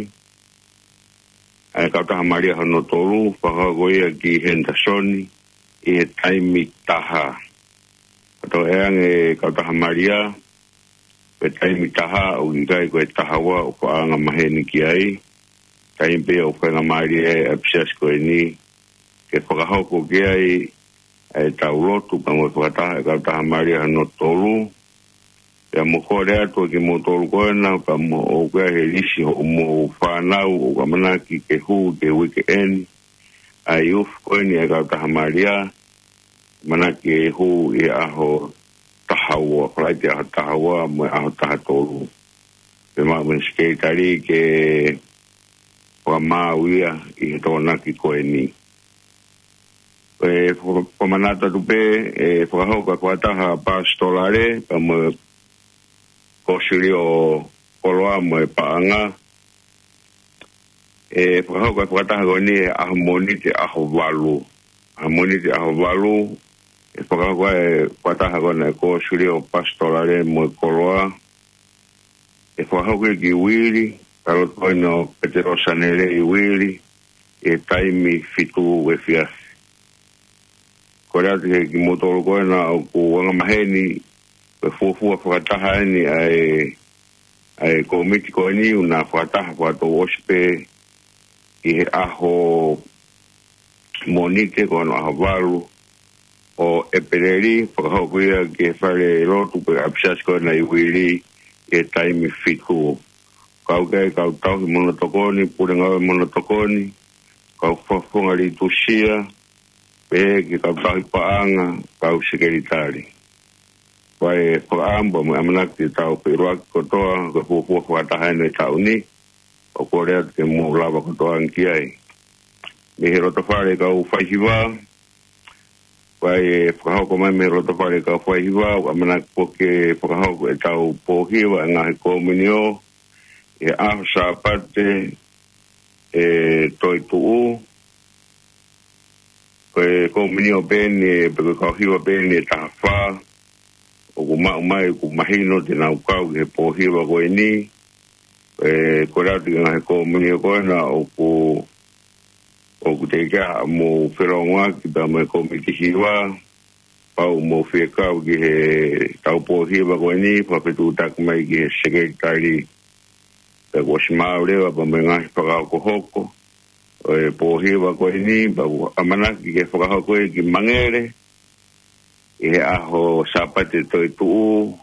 ʻa e kautaha Malia hono tolu, fakahoko ia ki Henderson, ʻi he taimi taha. Ka tau ʻe ange kautaha Malia, ko e taimi taha, ʻoku ʻikai ko e taha ua ʻoku faʻa angamaheni ki ai, taimi pē ʻoku faingamālie ai ʻa e ʻapisiasi ko eni, ke fakahoko ki ai ʻa e tau lotu, pea mo e fakataha ʻa e kautaha Malia hono tolu, pea mo kole atu kimoutolu ko ena, pea mo ʻoku ʻi ai he lisi hoʻomou fānau, ʻoku ʻamanaki ke hū ki he uike eni, ʻa e youth ko eni ʻa e kautaha Malia, ʻamanaki ke hū ʻi he ʻaho taha ua, Falaite ʻaho taha ua, mo e ʻaho taha tolu. Pea maʻu mei he sekelitali ke fakamaau ia ʻi he Tokonaki ko eni. ʻE faka-, fakamanatu atu pē, ʻe fakahoko e fakataha pasitolale, pea mo e kōsilio koloa mo e paʻanga. ʻE fakahoko e fakataha ko eni he ʻaho Mōnite ʻaho valu. ʻAho Mōnite ʻaho valu, ʻe fakahoko e fakataha ko ena e kōsilio pasitolale mo e koloa. ʻE fakahoko ia ki Uili, ka loto ko ena ʻo Petelo Sanele ʻi Uili, ʻi he taimi fitu efiafi. Kole atu kimoutolu ko ena ʻoku angamaheni, ko e fuofua fakataha eni ʻa e, ʻa e kōmiti ko eni, ʻoku na fakataha fakatouʻosi pē ʻi he ʻaho Mōnite ko hono ʻaho valu ʻo ʻEpeleli, fakahoko ia ki he fale lotu pe ʻapisiasi ko ena ʻi Uili ʻi he taimi fitu. Kau ki ai e kau tauhi mono tokoni, pule ngāue mono tokoni, kau fakafofonga leitusia, pehē ki he kau tauhi paʻanga, kau sekelitali. Ko e fakaʻamu mo e ʻamanaki ke tau feʻiloaki kotoa, ko e fuofua fakataha eni ʻo e taʻu ni, ʻoku kole atu ke mou lava kotoa ange ki ai. Mei he loto fale kau faihiva, ko e fakahoko mai mei he loto fale kau faihiva, ʻoku ʻamanaki foki ke fakahoko e tau pōhiva e ngaahi kominio, ʻi he ʻaho Sāpate, ʻe toetuʻu, ko e kominio pē eni, pe ko e kau hiva pē eni ʻe taha fā, ʻoku maʻu mai, ʻoku mahino te nau kau ki he pōhiva ko eni, ʻe kole atu ki he ngaahi kominio ko ena, ʻoku, ʻoku teʻeki ai haʻamou felōngoaki pea mo e kōmiti hiva, pau mou fie kau ki he tau pōhiva ko eni, fakafetuʻutaki mai ki he sekelitali, pea kuo ʻosi maau leva pea mo e ngaahi fakahokohoko ʻo e pōhiva ko eni, pea ʻoku ʻamanaki ke fakahoko ia ki Mangele, ʻi he ʻaho Sāpate toetuʻu,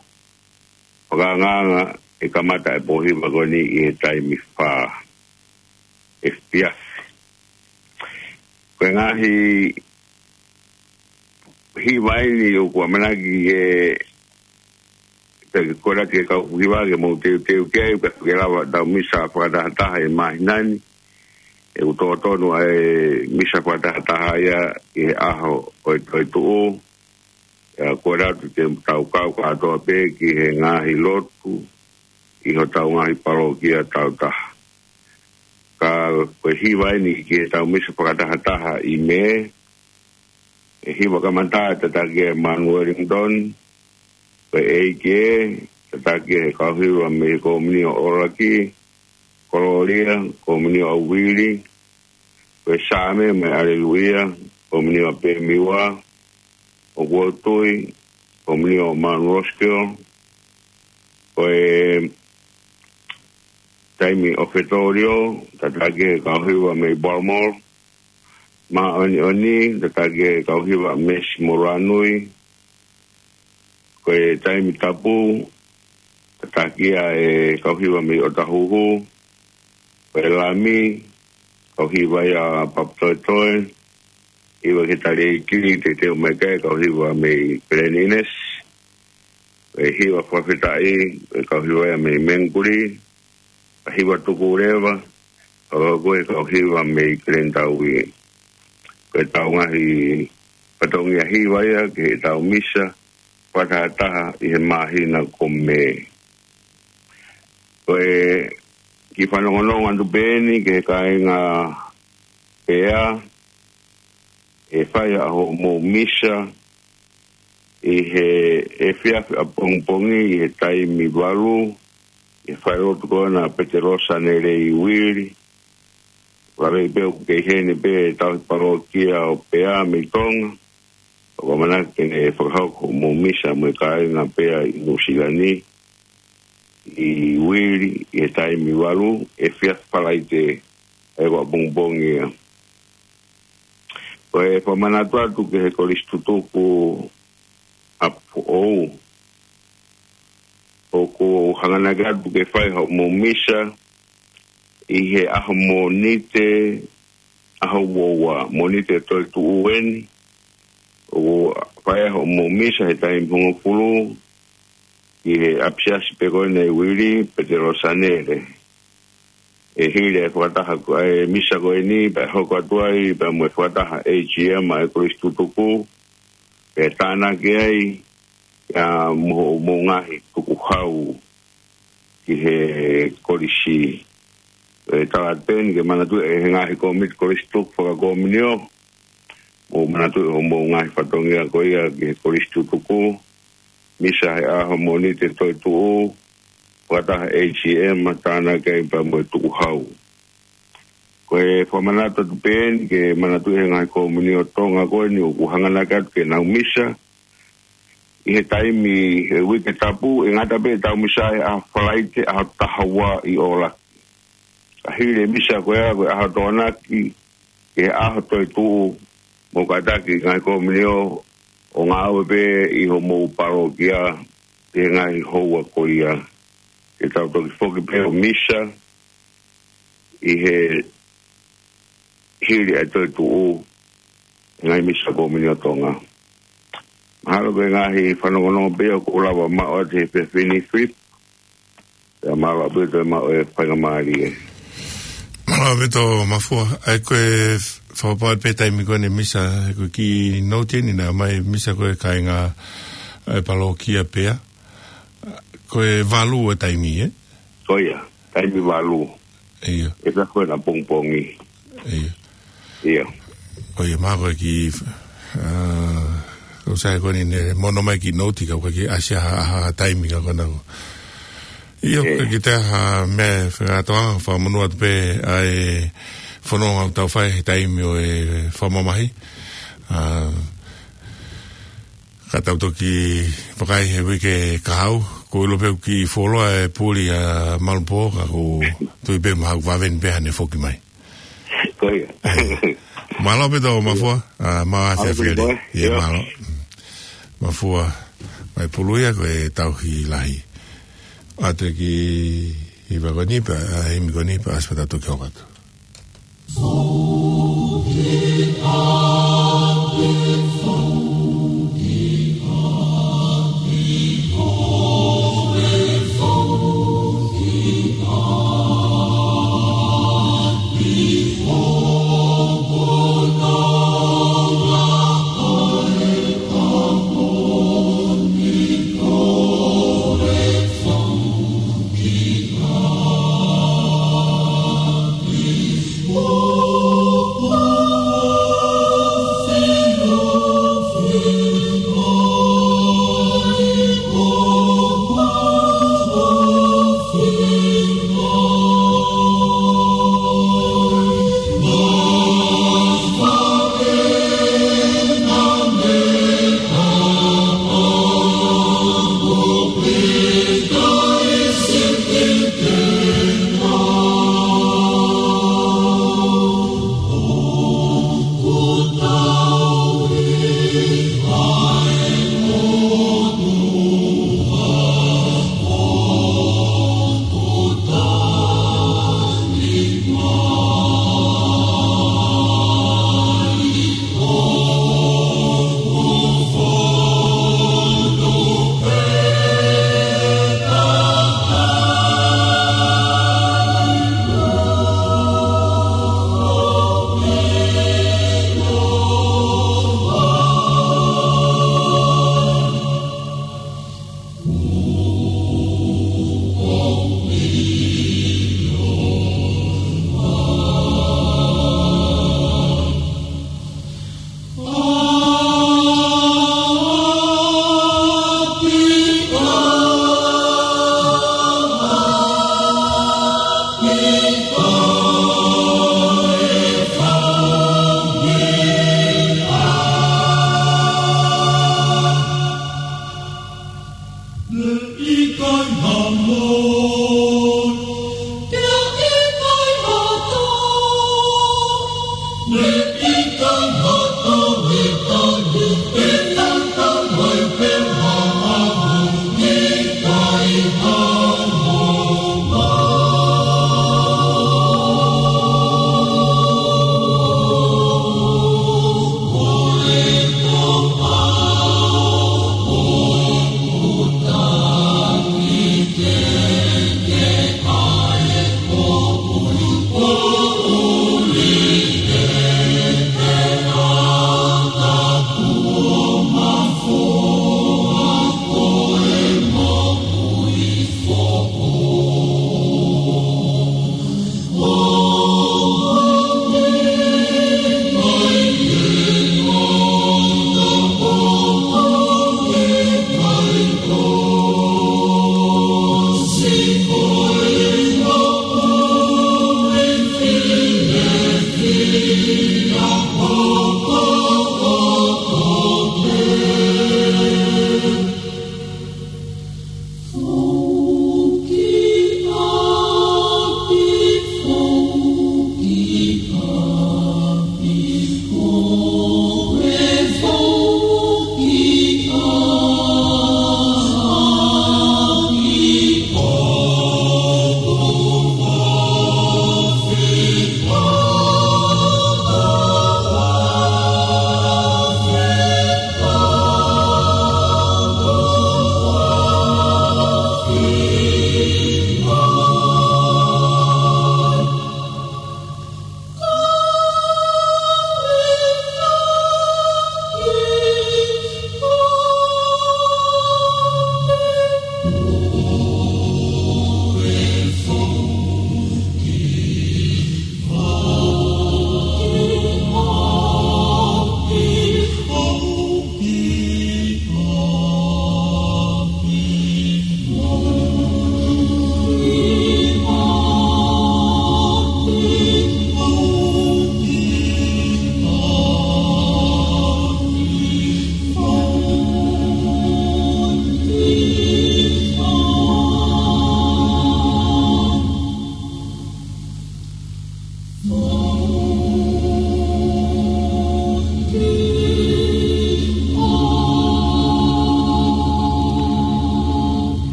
fakaangaanga ʻe kamata e pō hiva ko eni ʻi he taimi fā efiafi. Ko e ngaahi hiva eni ʻoku ʻamanaki ke, ke kole ki he kau hiva ke mou teuteu ki ai, pea ke lava ʻetau misa fakatahataha ʻi he māhina ni. ʻOku totonu ʻa e misa fakatahataha ia ʻi he ʻaho ʻo e toetuʻu. ʻIa, kole atu ke tau kau kātoa pē ki he ngaahi lotu ʻi hotau ngaahi palokia tau taha. Ka ko e hiva eni ki heʻetau misa fakatahataha ʻi Mē, ʻe hiva kamata tataki ʻe Manu Wellington, ko e ʻEiki ē, tataki ʻe he kau hiva mei he Komunio ʻOlaki, Kololia, Komunio ʻa Uili, ko e Saame mei ʻAleluia, Komunio ʻa Pemiwa, ʻOku ou tui, Komunio ʻa Manu Roskio, ko e taimi ʻo Fetolio, tataki ʻe he kau hiva mei Baltimore, Māʻoniʻoni, tataki ʻe he kau hiva Mesi Moranui, ko e taimi tapu, tataki ʻe he kau hiva mei ʻOtahuhu, ko e Lami, kau hiva ia Papatoetoe, hiva ke tali e kili, te teu mai kai, kau hiva mei Peleninesi, ko e hiva fakafetaʻi, ko e kau hiva ia mei Mengkuli, ka hiva tuku leva, ka ko e kau hiva mei Kelentaui. Ko ʻetau ngaahi fatongia hiva ia ki heʻetau misa fakatahataha ʻi he māhina ko Mē. Ko e kiʻi fanongonongo atu pē eni ki he kāinga Pea, ʻe fai ʻa hoʻomou misa ʻi he efiafi ʻapongipongi ʻi he taimi valu, ʻi he falelotu ko ena ʻa Petelo Sanele ʻi Uili. Lave pē ʻoku kei heni pē ʻetau palokia ʻo Pea mei Tonga. ʻOku ʻamanaki ke ne fakahoko hoʻomou misa mo e kāinga Pea ʻi Nuʻusila ni, ʻi Uili, ʻi he taimi valu, efiafi Falaite, ʻa ia ko ʻapongipongi ia. Ko e fakamanatu atu ki he kolisi tutuku ʻa Foʻou, ʻoku hanganaki atu ke fai hoʻomou misa ʻi he ʻaho Mōnite, ʻaho ua ua, Mōnite toetuʻu eni, ʻoku fai ai hoʻomou misa he taimi hongofulu, ʻi he ʻapisiasi pē ko ena ʻi Uili, Petelo Sanele. ʻE hili e fakataha ko e misa ko eni, pea hoko atu ai, pea mo e fakataha A G M ʻa e kolisi tutuku, pea tānaki ai, ʻa ia mo hoʻomou ngaahi tukuhau ki he kolisi. ʻE tala atu pē eni ke manatuʻi ʻe he ngaahi kōmiti kolisi tutuku fakakomunio, mou manatuʻi hoʻomou ngaahi fatongia ko ia ki he kolisi tutuku, misa he ʻaho Mōnite toetuʻu, fakataha A G M, tānaki ai pea mo e tukuhau. Ko e fakamanatu atu pē eni ke manatuʻi ʻe he ngaahi komunio Tonga ko eni ʻoku hanganaki atu ke nau misa ʻi he taimi he uike tapu, ʻe ngata pē ʻetau misa he ʻaho Falaite, ʻaho taha ua ʻi ʻOlaki. Ka hili e misa ko ia, ko e ʻaho Tokonaki, ki he ʻaho toetuʻu, mou kātaki ngaahi komunio ʻo ngāue pē ʻi hoʻomou palokia, ʻi he ngaahi houa ko ia. Ke tau toki foki pē ʻo misa, ʻi he hili ʻa e toetuʻu, ngaahi misa komunio Tonga. Mahalo ko e ngaahi fanongonongo pē ʻoku ou lava maʻu atu he efiafi ni, Philip. Pea mālō ʻaupito e maʻu e faingamālie. Mālō ʻaupito Mafua, ʻa ia ko e fakapapauʻi pē taimi ko eni misa, ko e kiʻi nouti eni naʻe ʻomai misa ko e kāinga ʻa e palokia Pea. Ko e valu e taimi, ē? Ko ia, taimi valu. ʻIo. ʻE pea ko ena pongipongi. ʻIo. ʻIo. ʻIo, mahalo ko e kiʻi, ʻa, ʻoku sai ko eni ne mono mai kiʻi nouti ka ʻoku ʻikai ke ʻasi ha, ha, ha taimi ka ko ena ko. ʻIo, ʻE. Ko e kiʻi taha meʻa fekatoa, fakamonū atu pē ʻa e fononga ʻoku tau fai he taimi ʻo e fakamamahi. ʻA, ka tau toki vakai he uike kahaʻu, ʻoku ou ʻilo pē ʻoku kiʻi fuoloa e puli ʻa Malupō, ka ʻoku ou tui pē mahalo ʻoku vave ni pē haʻane foki mai. Ko ia. Mālō ʻaupito Mafua, ʻa, maʻu e efiafi ni. Mālō ʻaupito, ē. ʻIo, mālō. Mafua, mai Puluia ko e tauhi lahi. ʻAtu ki he hiva ko eni pea, ʻa e himi ko eni pea ʻosi pea tau toki hoko atu.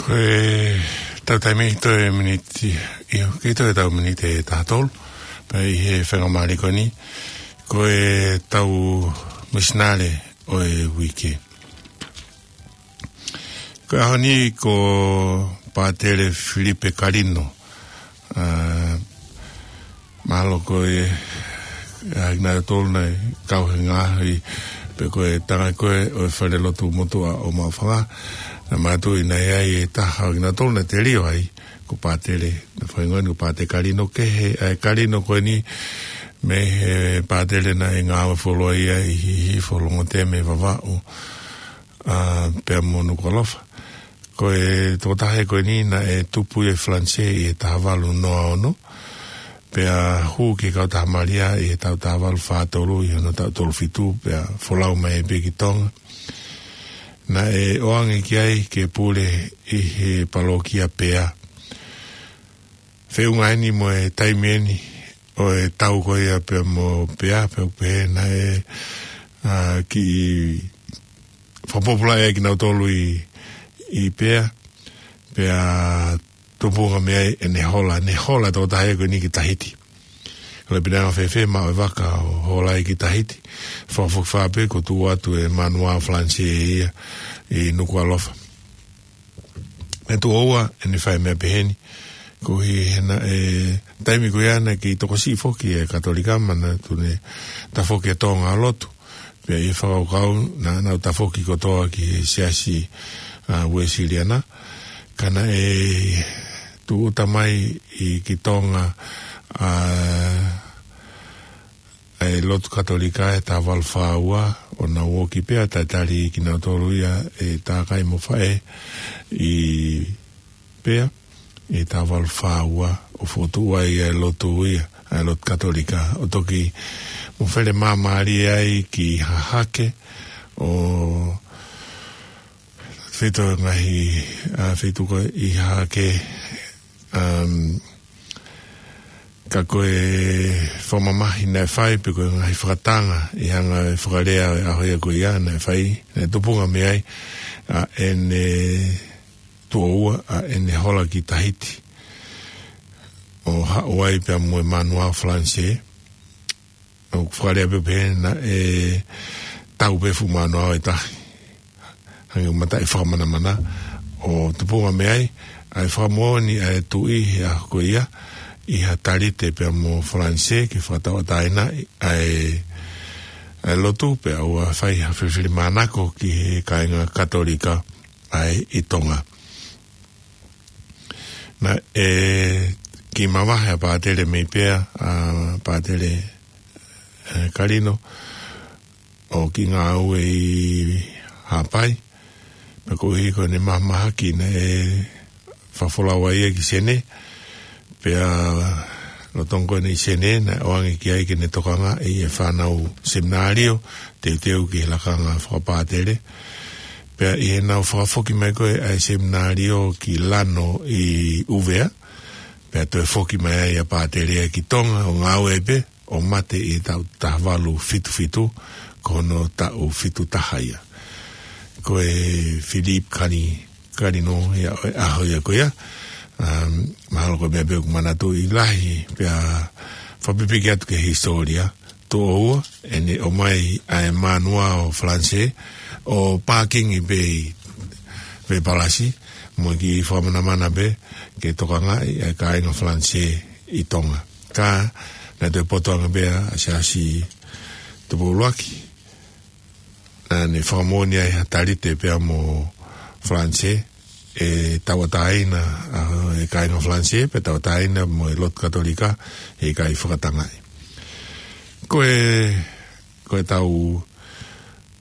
Ko e tau taimi toe miniti, ʻio, ki toe tau miniti ʻe taha tolu, pea ʻi he fenga mali ko eni, ko e tau misinale ʻo e uike. Ko e ʻaho ni ko Pātele Filipe Kalino, ā, mahalo ko e, ʻa, naʻe tolu naʻe kau he ngaahi, pe ko e tanga ko ē ʻo e fale lotu motuʻa ʻo Maʻufanga, naʻe mātuʻaki ʻi ai e taha ʻo kinautolu naʻe telio ai, ko Pātele, naʻe faingoni ko Pātele Kalino kehe, ʻa e Kalino ko eni, mei he Pātele naʻe ngāue fuoloa ia ʻi Hihifo, Longotemea, Vavaʻu, ā, pea mo Nukuʻalofa. Ko e tokotaha ko eni naʻe tupu ʻi Falanisē ʻi he taha valu noa ono, pea hū ki he Kautaha Malia ʻi he taʻu taha valu fā tolu ʻi hono taʻu tolu fitu, pea folau mai pē ki Tonga. Naʻe ʻoange ki ai ke pule ʻi he palokia Pea. Feʻunga eni mo e taimi eni ʻo e tau ko ia pea mo Pea, pea ʻoku pehē naʻe, ā, kiʻi fakapōpulaʻi ai kinautolu ʻi, ʻi Pea, pea tupunga mei ai ʻene hola, ʻene hola tokotaha ko eni ki Tahiti. Ko e pinanga fēfē maʻu e vaka ʻo hola ai ki Tahiti, fakafokifā pē kuo tuʻu atu e manuao Falanisē ia ʻi Nukuʻalofa. Naʻe tuʻo ua ʻene fai meʻa pehē ni, koeʻuhi he naʻe, taimi ko ia naʻe kei tokosiʻi foki e Katolika, manatuʻi naʻe tafoki e Tonga lotu. Pea ʻi he fakakaukau naʻa nau tafoki kotoa ki he siasi, ā, Uēsiliana. Ka naʻe tūʻuta mai ʻi, ki Tonga, ā, ʻa e lotu Katolika ʻi he taha valu fā ua, ʻo nau ō ki Pea, talitali kinautolu ia ʻe he takai mo e faʻē ʻi Pea, ʻi he taha valu fā ua, ʻo fokotuʻu ai ʻa e lotu ia, ʻa e lotu Katolika, ʻo toki mafele māmālie ai ki Hahake, ʻo feituʻu ngaahi, ā, feituʻu ko ē ʻi Hahake, um, ka ko e fakamamahi naʻe fai, pe ko e ngaahi fakatanga ʻi he anga e fakalea ʻo e ʻaho ia ko ia naʻe fai, naʻe tupunga mei ai ʻa ʻene tuʻo ua, ʻa ʻene hola ki Tahiti, ʻo haʻu ai pea mo e manuao Falanisē, ʻo fakalea pē pehē naʻe tau pē fuʻu manuao ʻe taha. Hangē ko e mataʻi fakamanamana, ʻo tupunga mei ai ʻa e fakamoʻoni ʻa e tuʻi he ʻaho ko ia ʻi Haʻa Talite pea mo Falanisē ke fakatauʻatāinaʻi ʻa e, ʻa e lotu, pea ʻoua fai ha filifilimānako ki he kāinga Katolika ʻa ē ʻi Tonga. Naʻe kiʻi mavahe ʻa Pātele mei Pea, ʻa Pātele, ē, Kalino, ʻo kiʻi ngāue ʻi Haʻapai, pea koeʻuhi ko ʻene mahamahaki naʻe fakafolau ai ia ki Senē, pea lolotonga ko ʻene ʻi Senē, naʻe ʻoange ki ai ke ne tokangaʻi e fānau seminālio, teuteu ki he lakanga fakapātele. Pea ʻi heʻenau fakafoki mai ko ē ʻa e seminālio ki Lano ʻi ʻUvea, pea toe foki mai ai ʻa Pātele ia ki Tonga, ʻo ngāue pē, ʻo mate ʻi he taʻu taha valu fitu fitu, ko hono taʻu fitu taha ia. Ko e Philippe Kali-, Kalino ia ʻo e ʻaho ia ko ia, um, mahalo ko e meʻa pē ʻoku manatuʻi lahi, pea fakapipiki atu ki he hisitōlia, tuʻo ua, ʻene ʻomai ʻa e manuao Falanisē, ʻo pākingi pē ʻi Vepalasi, mo e kiʻi fakamanamana pē, ke tokangaʻi ʻa e kāinga Falanisē ʻi Tonga. Ka, naʻe toe poto ange pē ʻa Siaosi Tupou ʻUluaki, naʻa ne fakamoʻoni ai Haʻa Talite pea mo Falanisē, ʻe tauʻatāina, ʻa, e kāinga Falanisē, pea tauʻatāina mo e lotu Katolika, ʻe ʻikai fakatangaʻi. Ko e, ko e tau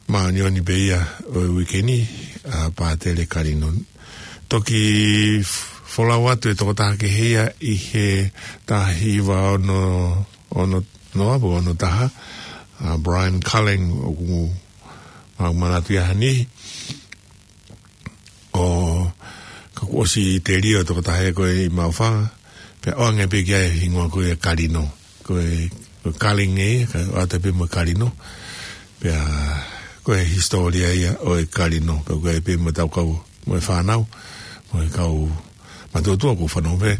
māʻoniʻoni pē ia ʻo e uike ni, ʻa Pātele Kalino. Toki f-, folau atu e tokotaha kehe ia ʻi he taha hiva ono, ono noa, pe ono taha, ʻa Brian Cullen, ʻoku mau manatu ia heni. ʻO ka kuo ʻosi telio e tokotaha ko ē ʻi Maʻufanga, pea ʻoange pē ki ai e hingoa ko ia Kalino. Ko e, ko e Cullen ē, ka ʻoatu pē mo Kalino. Pea ko e hisitōlia ia ʻo e Kalino, ka ko e pē mo e tau kau mo e fānau, Mo e kau matutua ʻoku fanongo pē,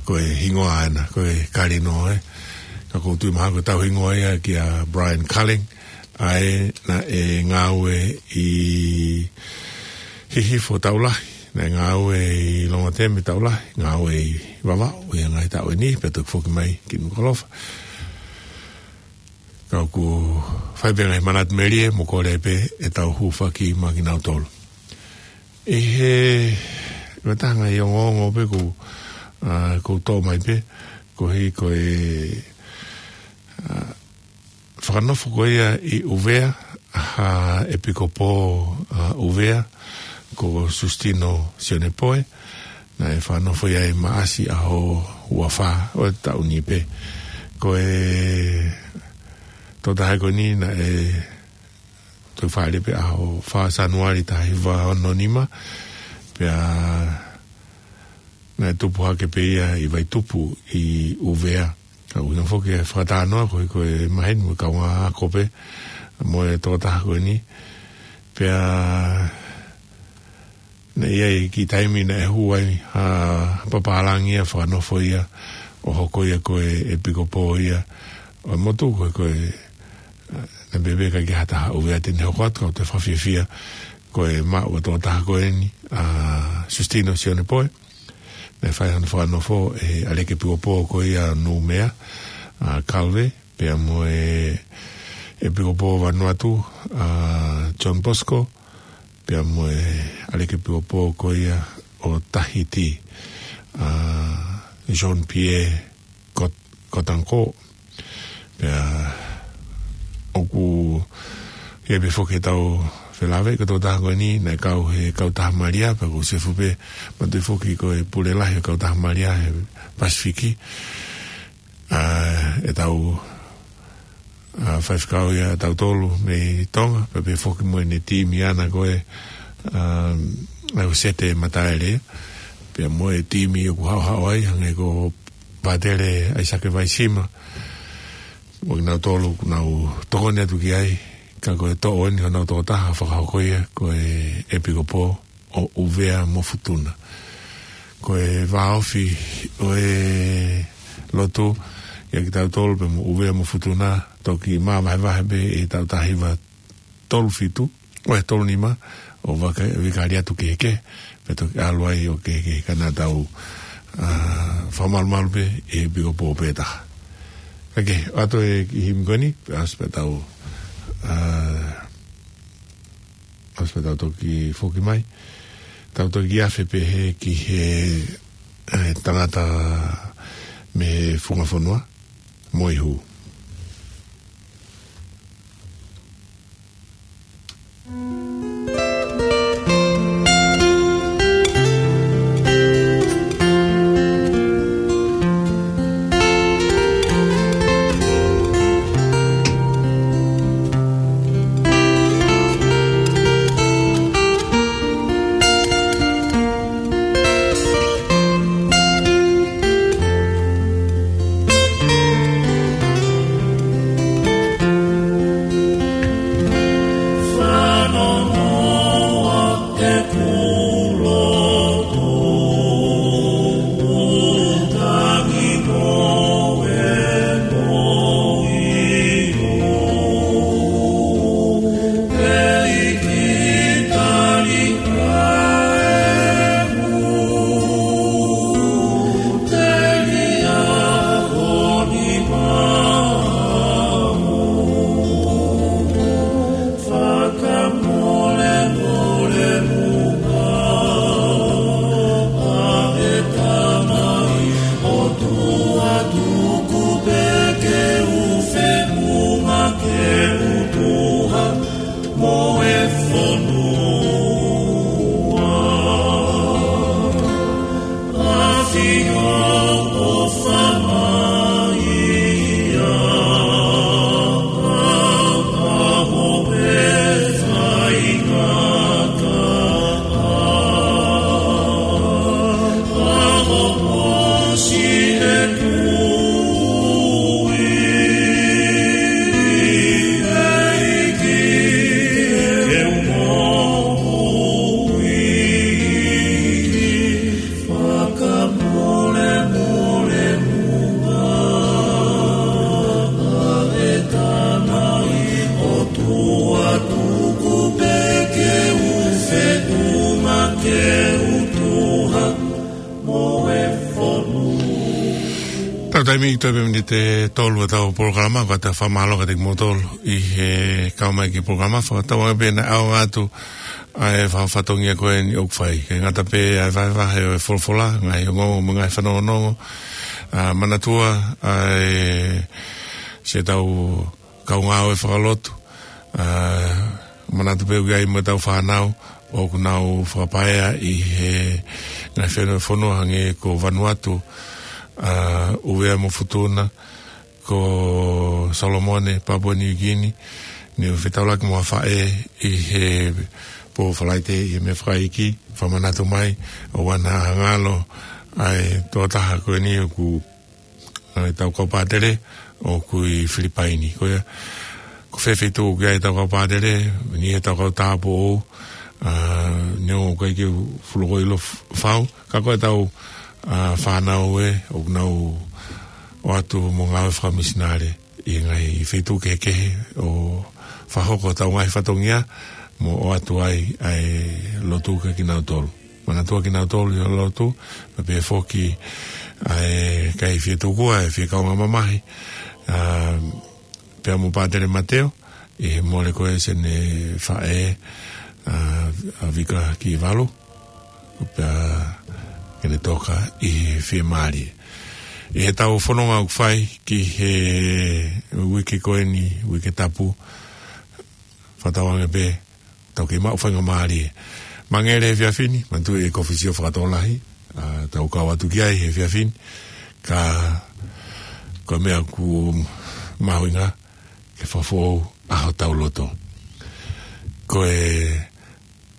ko e hingoa ʻena, ko e Kalino, ē. Ka ʻoku ou tui mahalo ko ʻetau hingoa ia kia Brian Culling, ʻa ē naʻe ngāue ʻi Hihifo taʻu lahi, naʻe ngāue ʻi Longoteme taʻu lahi, ngāue ʻi Vavaʻu ʻi he ngaahi taʻu ʻe niʻihi, pea toki foki mai ki Nukuʻalofa. Ka ʻoku fai pē ngaahi manatu melie mo kole pē ʻetau hūfaki maʻa kinautolu. ʻI he matanga ʻi ongoongo pē ʻoku, ʻa, ʻoku toʻo mai pē, koeʻuhi ko e, ʻa, fakanofo ko ia ʻi ʻUvea ha ʻepikopō, ʻa, ʻUvea, ko Susitino Sionepoe, naʻe fakanofo ia ʻi Maʻasi ʻaho uafā ʻo e taʻu ni pē. Ko e tokotaha ko eni naʻe toki fāʻeleʻi pē ʻaho fā Sānuali taha hiva ono nima, pea naʻe tupu hake pē ia ʻi Vaitupu ʻi ʻUvea. Ka ʻoku ʻi ai foki e fakatalanoa ko e, ko e maheni mo e kaungā ako pē mo e tokotaha ko eni. Pea naʻe ʻi ai e kiʻi taimi naʻe hū ai ha papālangi ia fakanofo ia ʻo hoko ia ko e ʻepikopō ia ʻo e motu ko e, ko e, naʻe pehē pē ʻikai ke ʻi ai ha taha ʻUvea te ne hoko atu, ka ʻoku ou fakafiefia ko e maʻu ʻa e tokotaha ko eni, ʻa Susitino Sionepoe. Naʻe fai hono fakanofo ʻe he ʻaleki ʻepikopō ko ia Nūmea, ʻa Kalve, pea mo e ʻepikopō Vanuatu, ʻa John Bosco, pea mo e ʻaleki ʻepikopō ko ia ʻo Tahiti, ʻa Jean-Pierre Cot-, Cotancourt. Pea ʻoku ʻi ai pē foki ʻetau felāveʻi ko e tokotaha ko eni, naʻe kau he Kautaha Malia, pea ʻoku sefu pē, manatuʻi foki ko e pule lahi ʻo e Kautaha Malia he Pasifiki. ʻA, ʻetau, ʻa, faifekau ia ʻatautolu mei Tonga, pea pehē foki mo ʻene timi ʻana ko e, ʻa, ʻa e Sete Mataele, pea mo e timi ʻoku haʻohaʻo ai, hangē ko Pātele ʻAisake Vaisima, mo kinautolu ʻoku nau tokoni atu ki ai, ka ko e toʻo eni honau tokotaha fakahoko ia ko e ʻepikopō ʻo ʻUvea mo Futuna. Ko e vāofi ʻo e lotu ia kia kitautolu pea mo ʻUvea mo Futuna, toki māvahevahe pē ʻi he taʻu taha hiva tolu fitu, ʻo e tolu nima, ʻo vaka-, vikali atu kehekehe, pea toki ʻalu ai ʻo kehekehe ka naʻa tau, ʻa, fakamalumalu pē ʻi he ʻepikopō pē taha. Ka ke, ʻoatu e kiʻi himi ko eni, pea ʻosi pē tau, ʻa, ʻosi pē tau toki foki mai. Tau toki afe pē he ki he, ʻe, tangata mei he funga fonua, Moihū. Mei toe pē miniti ʻe tolu ʻetau polokalama, ko ʻetau fakamālō kiate kimoutolu ʻi he kau mai ki he polokalama, fakatauange pē naʻe ʻaonga atu ʻa e fatongia ko eni ʻoku fai. Kae ngata pē ʻa e vahevahe ʻo e folofola, ngaahi ongoongo mo e ngaahi fanongonongo, ʻa, manatua ʻa e siʻetau kau ngāue fakalotu, ʻa, manatu pē ʻoku ʻi ai mo ʻetau fānau ʻoku nau fakapaea ʻi he ngaahi fonua, fonua hangē ko Vanuatu, ʻa, ʻUvea mo Futuna, ko Solomone, Papua New Guinea, ne u fetaulaki mo ha faʻē ʻi he pō Falaite ʻi he meʻa fakaiki, fakamanatu mai, ʻoua naʻa ngalo ʻa e tokotaha ko eni ʻoku ʻa ʻetau kau pātele ʻoku ʻi Filipaini. Ko ia, ko fē feituʻu ʻoku ʻi ai ʻetau kau pātele, ʻi ai ʻetau kau tāupoʻou, ʻa, neongo ʻoku ʻikai ke u fuʻu loko ʻilo f-, fau, ka ko ʻetau, ʻa, fānau ē, ʻoku nau ō atu mo ngāue fakamisinale ʻi he ngaahi feituʻu kehekehe ʻo fakahoko ʻetau ngaahi fatongia mo ʻoatu ai ʻa e lotu kiate kinautolu. Manatua kinautolu ʻi he lotu, pea pehē foki ʻa e kakai fie tokua, ʻa e fie kaungā mamahi, ʻa, pea mo Pātele Mateo, ʻi he mole ko ē siʻene faʻē, ʻa, ʻa Vika Kivalu, pea ke ne toka ʻi he fiemālie. ʻI heʻetau fononga ʻoku fai ki he uike ko eni, Uike Tapu, fakatauange pē tau kei maʻu faingamālie. Mangele he efiafi ni, manatuʻi e kōfisio fakatokolahi, ʻa, tau kau atu ki ai he efiafi ni, ka ko e meʻa ʻoku mahuʻinga ke fakafoʻou ʻa hotau loto. Ko e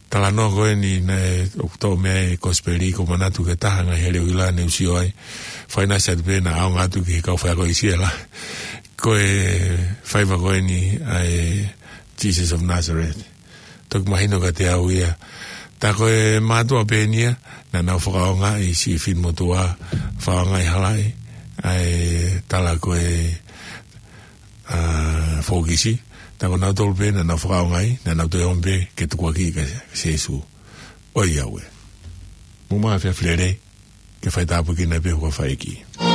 talanoa ko eni naʻe ʻoku tau meʻa e kosipeli, ʻoku ou manatu ki he taha ngaahi hele ʻuhila ne u sio ai. Fakaʻinasi atu pē naʻa ʻaonga atu ki he kau faiako ʻi Siela. Ko e faiva ko eni ʻa e Jesus of Nazareth. Toki mahino kiate au ia. Tā ko e mātuʻa pē eni ia, naʻa nau fakaʻaongaʻi siʻi finemotuʻa, fakaʻaongaʻi halaʻi, ʻa e tala ko e, ʻa, fōkisi. Tā ko nautolu pē naʻa nau fakaʻaongaʻi, naʻa nau toe omi pē ke tukuakiʻi kia Sīsū. ʻOiauē. Mou maʻu ha efiafi lelei, ke faitāpuekina pē ho kau faiʻeiki.